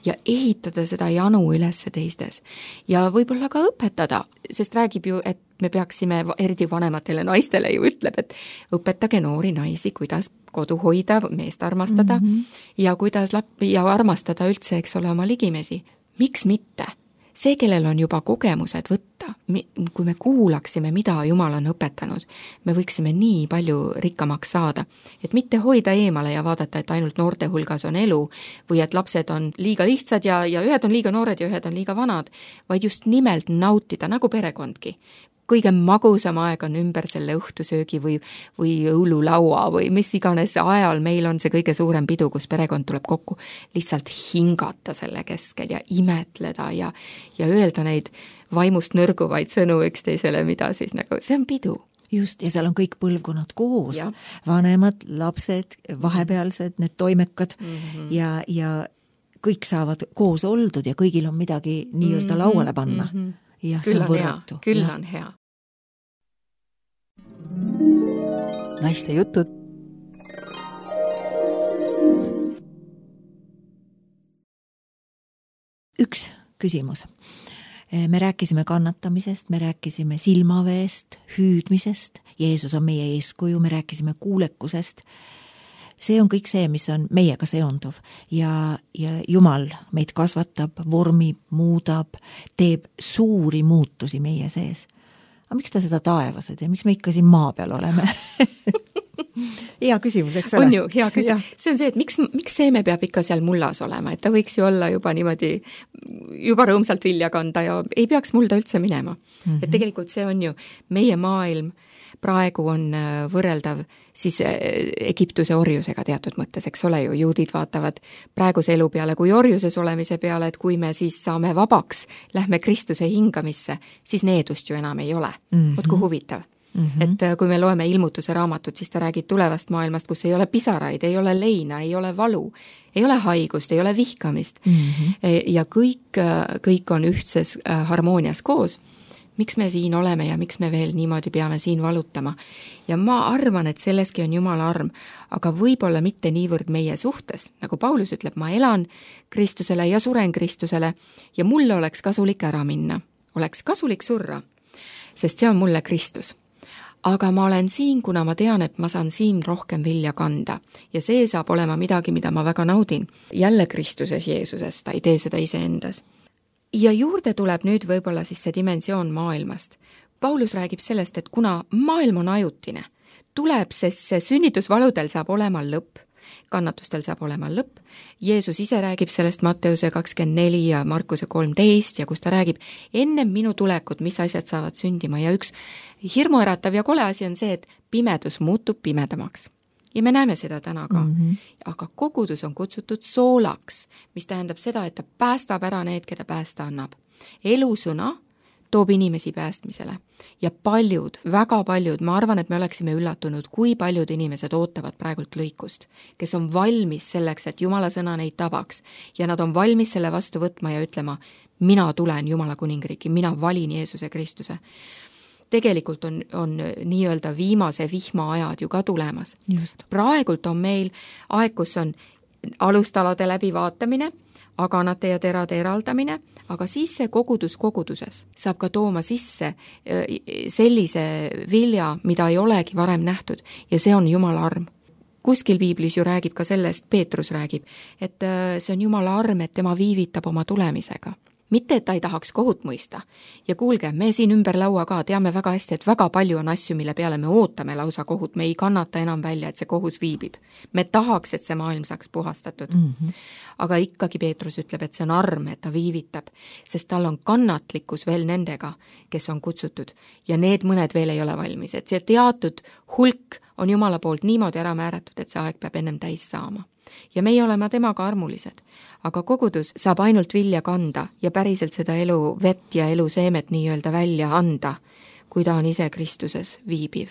ja ehitada seda janu ülesse teistes. Ja võib-olla ka õpetada, sest räägib ju, et me peaksime, eriti vanematele naistele ju ütleb, et õpetage noori naisi, kuidas kodu hoida, meest armastada mm-hmm. ja kuidas lap- ja armastada üldse, eks ole, oma ligimesi. Miks mitte? See, kellel on juba kogemused võtta, kui me kuulaksime, mida Jumal on õpetanud, me võiksime nii palju rikkamaks saada, et mitte hoida eemale ja vaadata, et ainult noorte hulgas on elu või et lapsed on liiga lihtsad ja, ja ühed on liiga noored ja ühed on liiga vanad, vaid just nimelt nautida, nagu perekondki. Kõige magusam aeg on ümber selle õhtusöögi või, või õululaua või mis iganes ajal meil on see kõige suurem pidu, kus perekond tuleb kokku, lihtsalt hingata selle keskel ja imetleda ja, ja öelda neid vaimust nõrguvaid sõnu üksteisele, mida siis nagu, see on pidu. Just, ja seal on kõik põlvkonnad koos, ja. Vanemad, lapsed, vahepealsed, need toimekad mm-hmm. ja, ja kõik saavad koos oldud ja kõigil on midagi nii-öelda mm-hmm. lauale panna. Mm-hmm. Ja, küll on võrratu. hea, küll ja. on hea. Naiste jutud. Üks küsimus. Me rääkisime kannatamisest, me rääkisime silmaveest, hüüdmisest, Jeesus on meie eeskuju, me rääkisime kuulekusest. See on kõik see, mis on meiega seonduv ja, ja Jumal meid kasvatab, vormib, muudab, teeb suuri muutusi meie sees. Aga miks ta seda taevas ei tee? Miks me ikka siin maa peal oleme? Hea küsimus, eks ole? On ju, hea küsimus. See on see, et miks, miks seeme peab ikka seal mullas olema, et ta võiks ju olla juba niimoodi, juba rõõmsalt vilja kanda ja ei peaks mulda üldse minema. Mm-hmm. Et tegelikult see on ju meie maailm, praegu on võrreldav siis Egiptuse orjusega teatud mõttes, eks ole ju, juudid vaatavad praeguse elu peale kui orjuses olemise peale, et kui me siis saame vabaks, lähme Kristuse hingamisse, siis needust ju enam ei ole. Mm-hmm. Võt kui huvitav. Mm-hmm. Et kui me loeme ilmutuse raamatut, siis ta räägib tulevast maailmast, kus ei ole pisaraid, ei ole leina, ei ole valu, ei ole haigust, ei ole vihkamist mm-hmm. ja kõik, kõik on ühtses harmoonias koos. Miks me siin oleme ja miks me veel niimoodi peame siin valutama. Ja ma arvan, et selleski on Jumala arm, aga võib-olla mitte niivõrd meie suhtes. Nagu Paulus ütleb, ma elan Kristusele ja suren Kristusele ja mulle oleks kasulik ära minna. Oleks kasulik surra, sest see on mulle Kristus. Aga ma olen siin, kuna ma tean, et ma saan siin rohkem vilja kanda. Ja see saab olema midagi, mida ma väga naudin. Jälle Kristuses Jeesuses, ta ei tee seda ise endas. Ja juurde tuleb nüüd võib-olla siis see dimensioon maailmast. Paulus räägib sellest, et kuna maailm on ajutine, tuleb, sest see sünnitusvaludel saab olema lõpp, kannatustel saab olema lõpp. Jeesus ise räägib sellest Matteuse kakskümmend neli ja Markuse kolmteist ja kus ta räägib enne minu tulekut, mis asjad saavad sündima ja üks hirmuäratav ja kole asi on see, et pimedus muutub pimedamaks. Ja me näeme seda täna ka. Mm-hmm. Aga kogudus on kutsutud soolaks, mis tähendab seda, et ta päästab ära need, keda päästa annab. Elusõna toob inimesi päästmisele. Ja paljud, väga paljud, ma arvan, et me oleksime üllatunud, kui paljud inimesed ootavad praegult lõikust, kes on valmis selleks, et Jumala sõna neid tabaks. Ja nad on valmis selle vastu võtma ja ütlema, mina tulen Jumala kuningriiki, mina valin Jeesuse Kristuse. Tegelikult on, on nii-öelda viimase vihma ajad ju ka tulemas. Just. Praegult on meil aeg, kus on alustalade läbivaatamine, aganate ja terade eraldamine, aga siis see kogudus koguduses saab ka tooma sisse sellise vilja, mida ei olegi varem nähtud ja see on Jumala arm. Kuskil piiblis ju räägib ka sellest, Peetrus räägib, et see on Jumala arm, et tema viivitab oma tulemisega. Mitte, et ta ei tahaks kohut mõista. Ja kuulge, me siin ümber laua ka teame väga hästi, et väga palju on asju, mille peale me ootame lausa kohut, me ei kannata enam välja, et see kohus viibib. Me tahaks, et see maailm saaks puhastatud. Mm -hmm. Aga ikkagi Peetrus ütleb, et see on arm, et ta viivitab, sest tal on kannatlikkus veel nendega, kes on kutsutud ja need mõned veel ei ole valmis. Et see teatud hulk on Jumala poolt niimoodi ära määratud, et see aeg peab ennem täis saama. Ja meie oleme temaga armulised, aga kogudus saab ainult vilja kanda ja päriselt seda elu vett ja elu seemet nii-öelda välja anda, kui ta on ise Kristuses viibiv.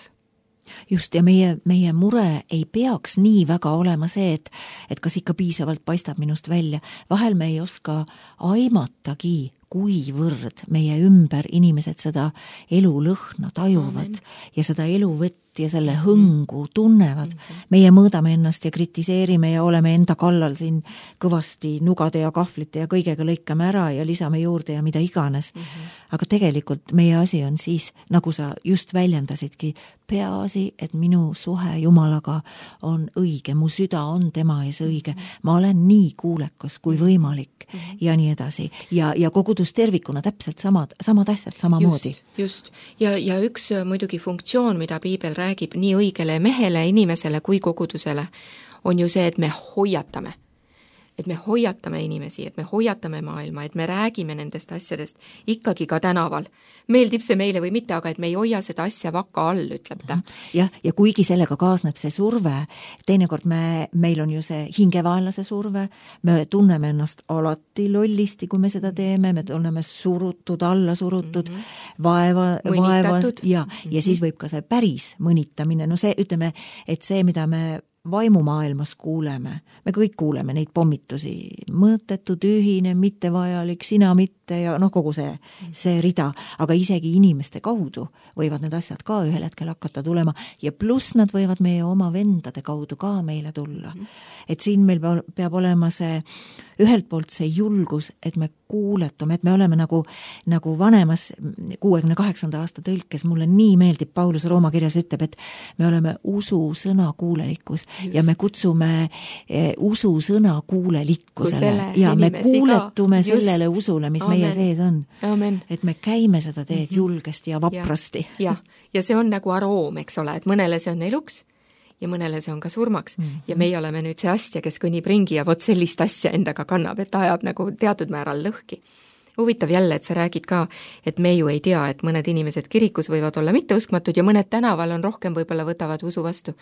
Just, ja meie, meie mure ei peaks nii väga olema see, et, et kas ikka piisavalt paistab minust välja. Vahel me ei oska aimatagi, kuivõrd meie ümber inimesed seda elulõhna tajuvad Amen. Ja seda eluvett ja selle hõngu tunnevad. Mm-hmm. Meie mõõdame ennast ja kritiseerime ja oleme enda kallal siin kõvasti nugade ja kahvlite ja kõigega lõikame ära ja lisame juurde ja mida iganes. Mm-hmm. Aga tegelikult meie asi on siis, nagu sa just väljendasidki, peaasi, et minu suhe Jumalaga on õige, mu süda on tema ees õige, ma olen nii kuulekas kui võimalik mm-hmm. ja nii edasi. Ja, ja kogudus tervikuna täpselt samad, samad asjad samamoodi. Just, just. Ja, ja üks muidugi funktsioon, mida piibel räägib nii õigele mehele, inimesele kui kogudusele, on ju see, et me hoiatame. Et me hoiatame inimesi, et me hoiatame maailma, et me räägime nendest asjadest ikkagi ka tänaval. Meeldib see meile või mitte, aga et me ei hoia seda asja vaka all, ütleb ta. Ja, ja kuigi sellega kaasneb see surve, teinekord me, meil on ju see hingevaenlase surve, me tunneme ennast alati lollisti, kui me seda teeme, me tunneme surutud, alla surutud, mm-hmm. vaeva, vaevas ja, mm-hmm. ja siis võib ka see päris mõnitamine, no see, ütleme, et see, mida me vaimumaailmas kuuleme, me kõik kuuleme neid pommitusi, mõõtetu, tühine, mittevajalik, sina mitte ja noh, kogu see, see rida, aga isegi inimeste kaudu võivad need asjad ka ühel hetkel hakata tulema ja pluss nad võivad meie oma vendade kaudu ka meile tulla. Et siin meil peab olema see ühelt poolt see julgus, et me kuuletume, et me oleme nagu, nagu vanemas kuuekümne kaheksanda aasta tõlkes, mulle nii meeldib, Paulus Rooma kirjas ütleb, et me oleme usu sõna kuulelikkus Just. Ja me kutsume eh, usu sõna kuulelikkusele ja me kuuletume ka. Sellele usule, mis Amen. Meie sees on. Amen. Et me käime seda teed mm-hmm. julgesti ja vaprasti. Ja, ja. ja see on nagu aroom, eks ole, et mõnele see on eluks ja mõnele see on ka surmaks. Mm-hmm. Ja meie oleme nüüd see astja, kes kõnnib ringi ja vot sellist asja endaga kannab, et ta ajab nagu teatud määral lõhki. Huvitav jälle, et sa räägid ka, et me ju ei tea, et mõned inimesed kirikus võivad olla mitteuskmatud ja mõned tänaval on rohkem võib-olla võtavad usu vastu.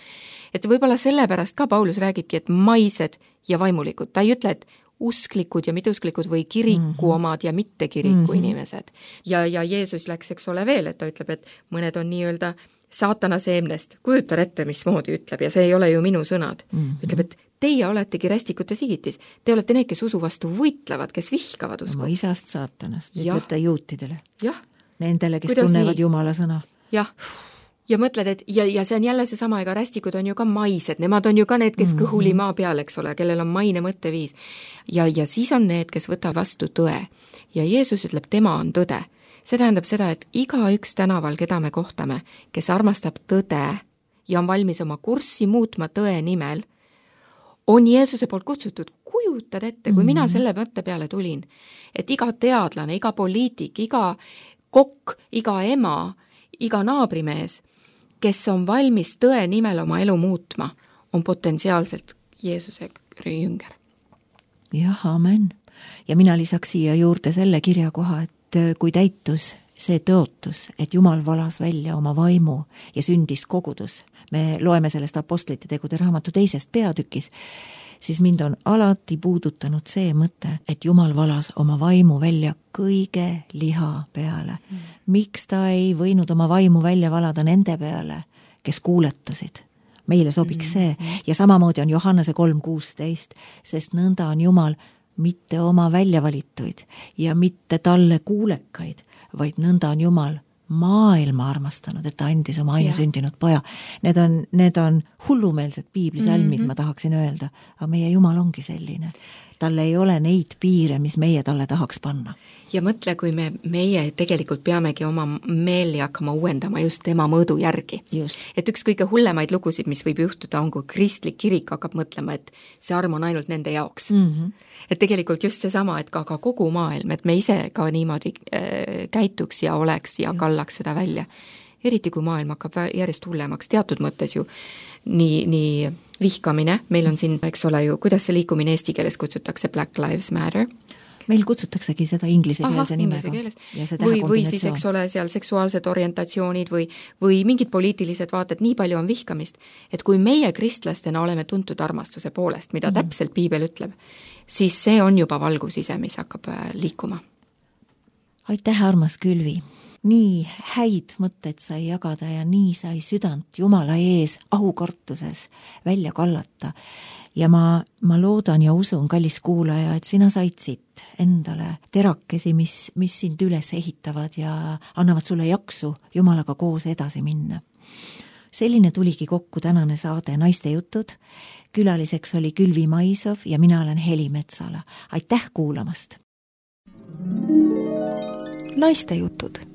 Et võib-olla sellepärast ka Paulus räägibki, et maised ja vaimulikud. Ta ei ütle, et usklikud ja mitteusklikud või kiriku mm-hmm. omad ja mitte kiriku mm-hmm. inimesed. Ja, ja Jeesus läks, eks ole veel, et ta ütleb, et mõned on nii-öelda saatana seemnest, kujuta ette, mismoodi ütleb, ja see ei ole ju minu sõnad. Mm-hmm. Ütleb, et teie oletegi rästikute sigitis. Te olete need, kes usu vastu võitlevad, kes vihkavad usku. Oma isast saatanast, ütleb ta juutidele. Jah. Nendele, kes Kuidas tunnevad nii? Jumala sõna. Jah. Ja mõtled, et ja, ja see on jälle see sama, ega rästikud on ju ka maised, nemad on ju ka need, kes mm-hmm. kõhuli maa peal, eks ole, kellel on maine mõtteviis. Ja, ja siis on need, kes võtab vastu tõe. Ja Jeesus ütleb, tema on tõde. See tähendab seda, et iga üks tänaval, keda me kohtame, kes armastab tõde ja on valmis oma kurssi muutma tõe nimel, on Jeesuse poolt kutsutud. Kujutad ette, kui mm-hmm. mina selle mõtte peale tulin, et iga teadlane, iga poliitik, iga kokk, iga ema, iga naabrimees, kes on valmis tõe nimel oma elu muutma, on potentsiaalselt Jeesuse jünger. Jah, amen. Ja mina lisaks siia juurde selle kirjakoha, et kui täitus see tõotus, et Jumal valas välja oma vaimu ja sündis kogudus, me loeme sellest apostlite tegude raamatu teisest peatükis, siis mind on alati puudutanud see mõte, et Jumal valas oma vaimu välja kõige liha peale. Mm. Miks ta ei võinud oma vaimu välja valada nende peale, kes kuuletasid? Meile sobiks see. Ja samamoodi on Johannese kolm kuusteist, sest nõnda on Jumal mitte oma väljavalituid ja mitte talle kuulekaid, vaid nõnda on Jumal maailma armastanud, et ta andis oma ainusündinud poja. Need on, need on hullumeelsed piiblisalmid, mm-hmm. ma tahaksin öelda, aga meie Jumal ongi selline. Tal ei ole neid piire, mis meie talle tahaks panna. Ja mõtle, kui me, meie tegelikult peamegi oma meeli hakkama uuendama just tema mõõdu järgi. Just. Et üks kõige hullemaid lugusid, mis võib juhtuda, on kui kristlik kirik hakkab mõtlema, et see arm on ainult nende jaoks. Mm-hmm. Et tegelikult just seesama, et ka, ka kogu maailm, et me ise ka niimoodi äh, käituks ja oleks ja kallaks seda välja. Eriti kui maailm hakkab järjest hullemaks, teatud mõttes ju nii, nii vihkamine, meil on siin, eks ole ju, kuidas see liikumine eesti keeles kutsutakse, Black Lives Matter. Meil kutsutaksegi seda inglisekeelse nimega. Või, või siis, eks ole, seal seksuaalsed orientatsioonid või, või mingid poliitilised vaated, nii palju on vihkamist, et kui meie kristlastena oleme tuntud armastuse poolest, mida mm. täpselt piibel ütleb, siis see on juba valgus ise, mis hakkab liikuma. Aitäh, armas Külvi! Nii häid mõtteid sai jagada ja nii sai südant Jumala ees aukartuses välja kallata. Ja ma, ma loodan ja usun, kallis kuulaja, et sina said siit endale terakesi, mis, mis sind üles ehitavad ja annavad sulle jaksu Jumalaga koos edasi minna. Selline tuligi kokku tänane saade Naiste jutud. Külaliseks oli Külvi Maisov ja mina olen Heli Metsala. Aitäh kuulamast! Naiste jutud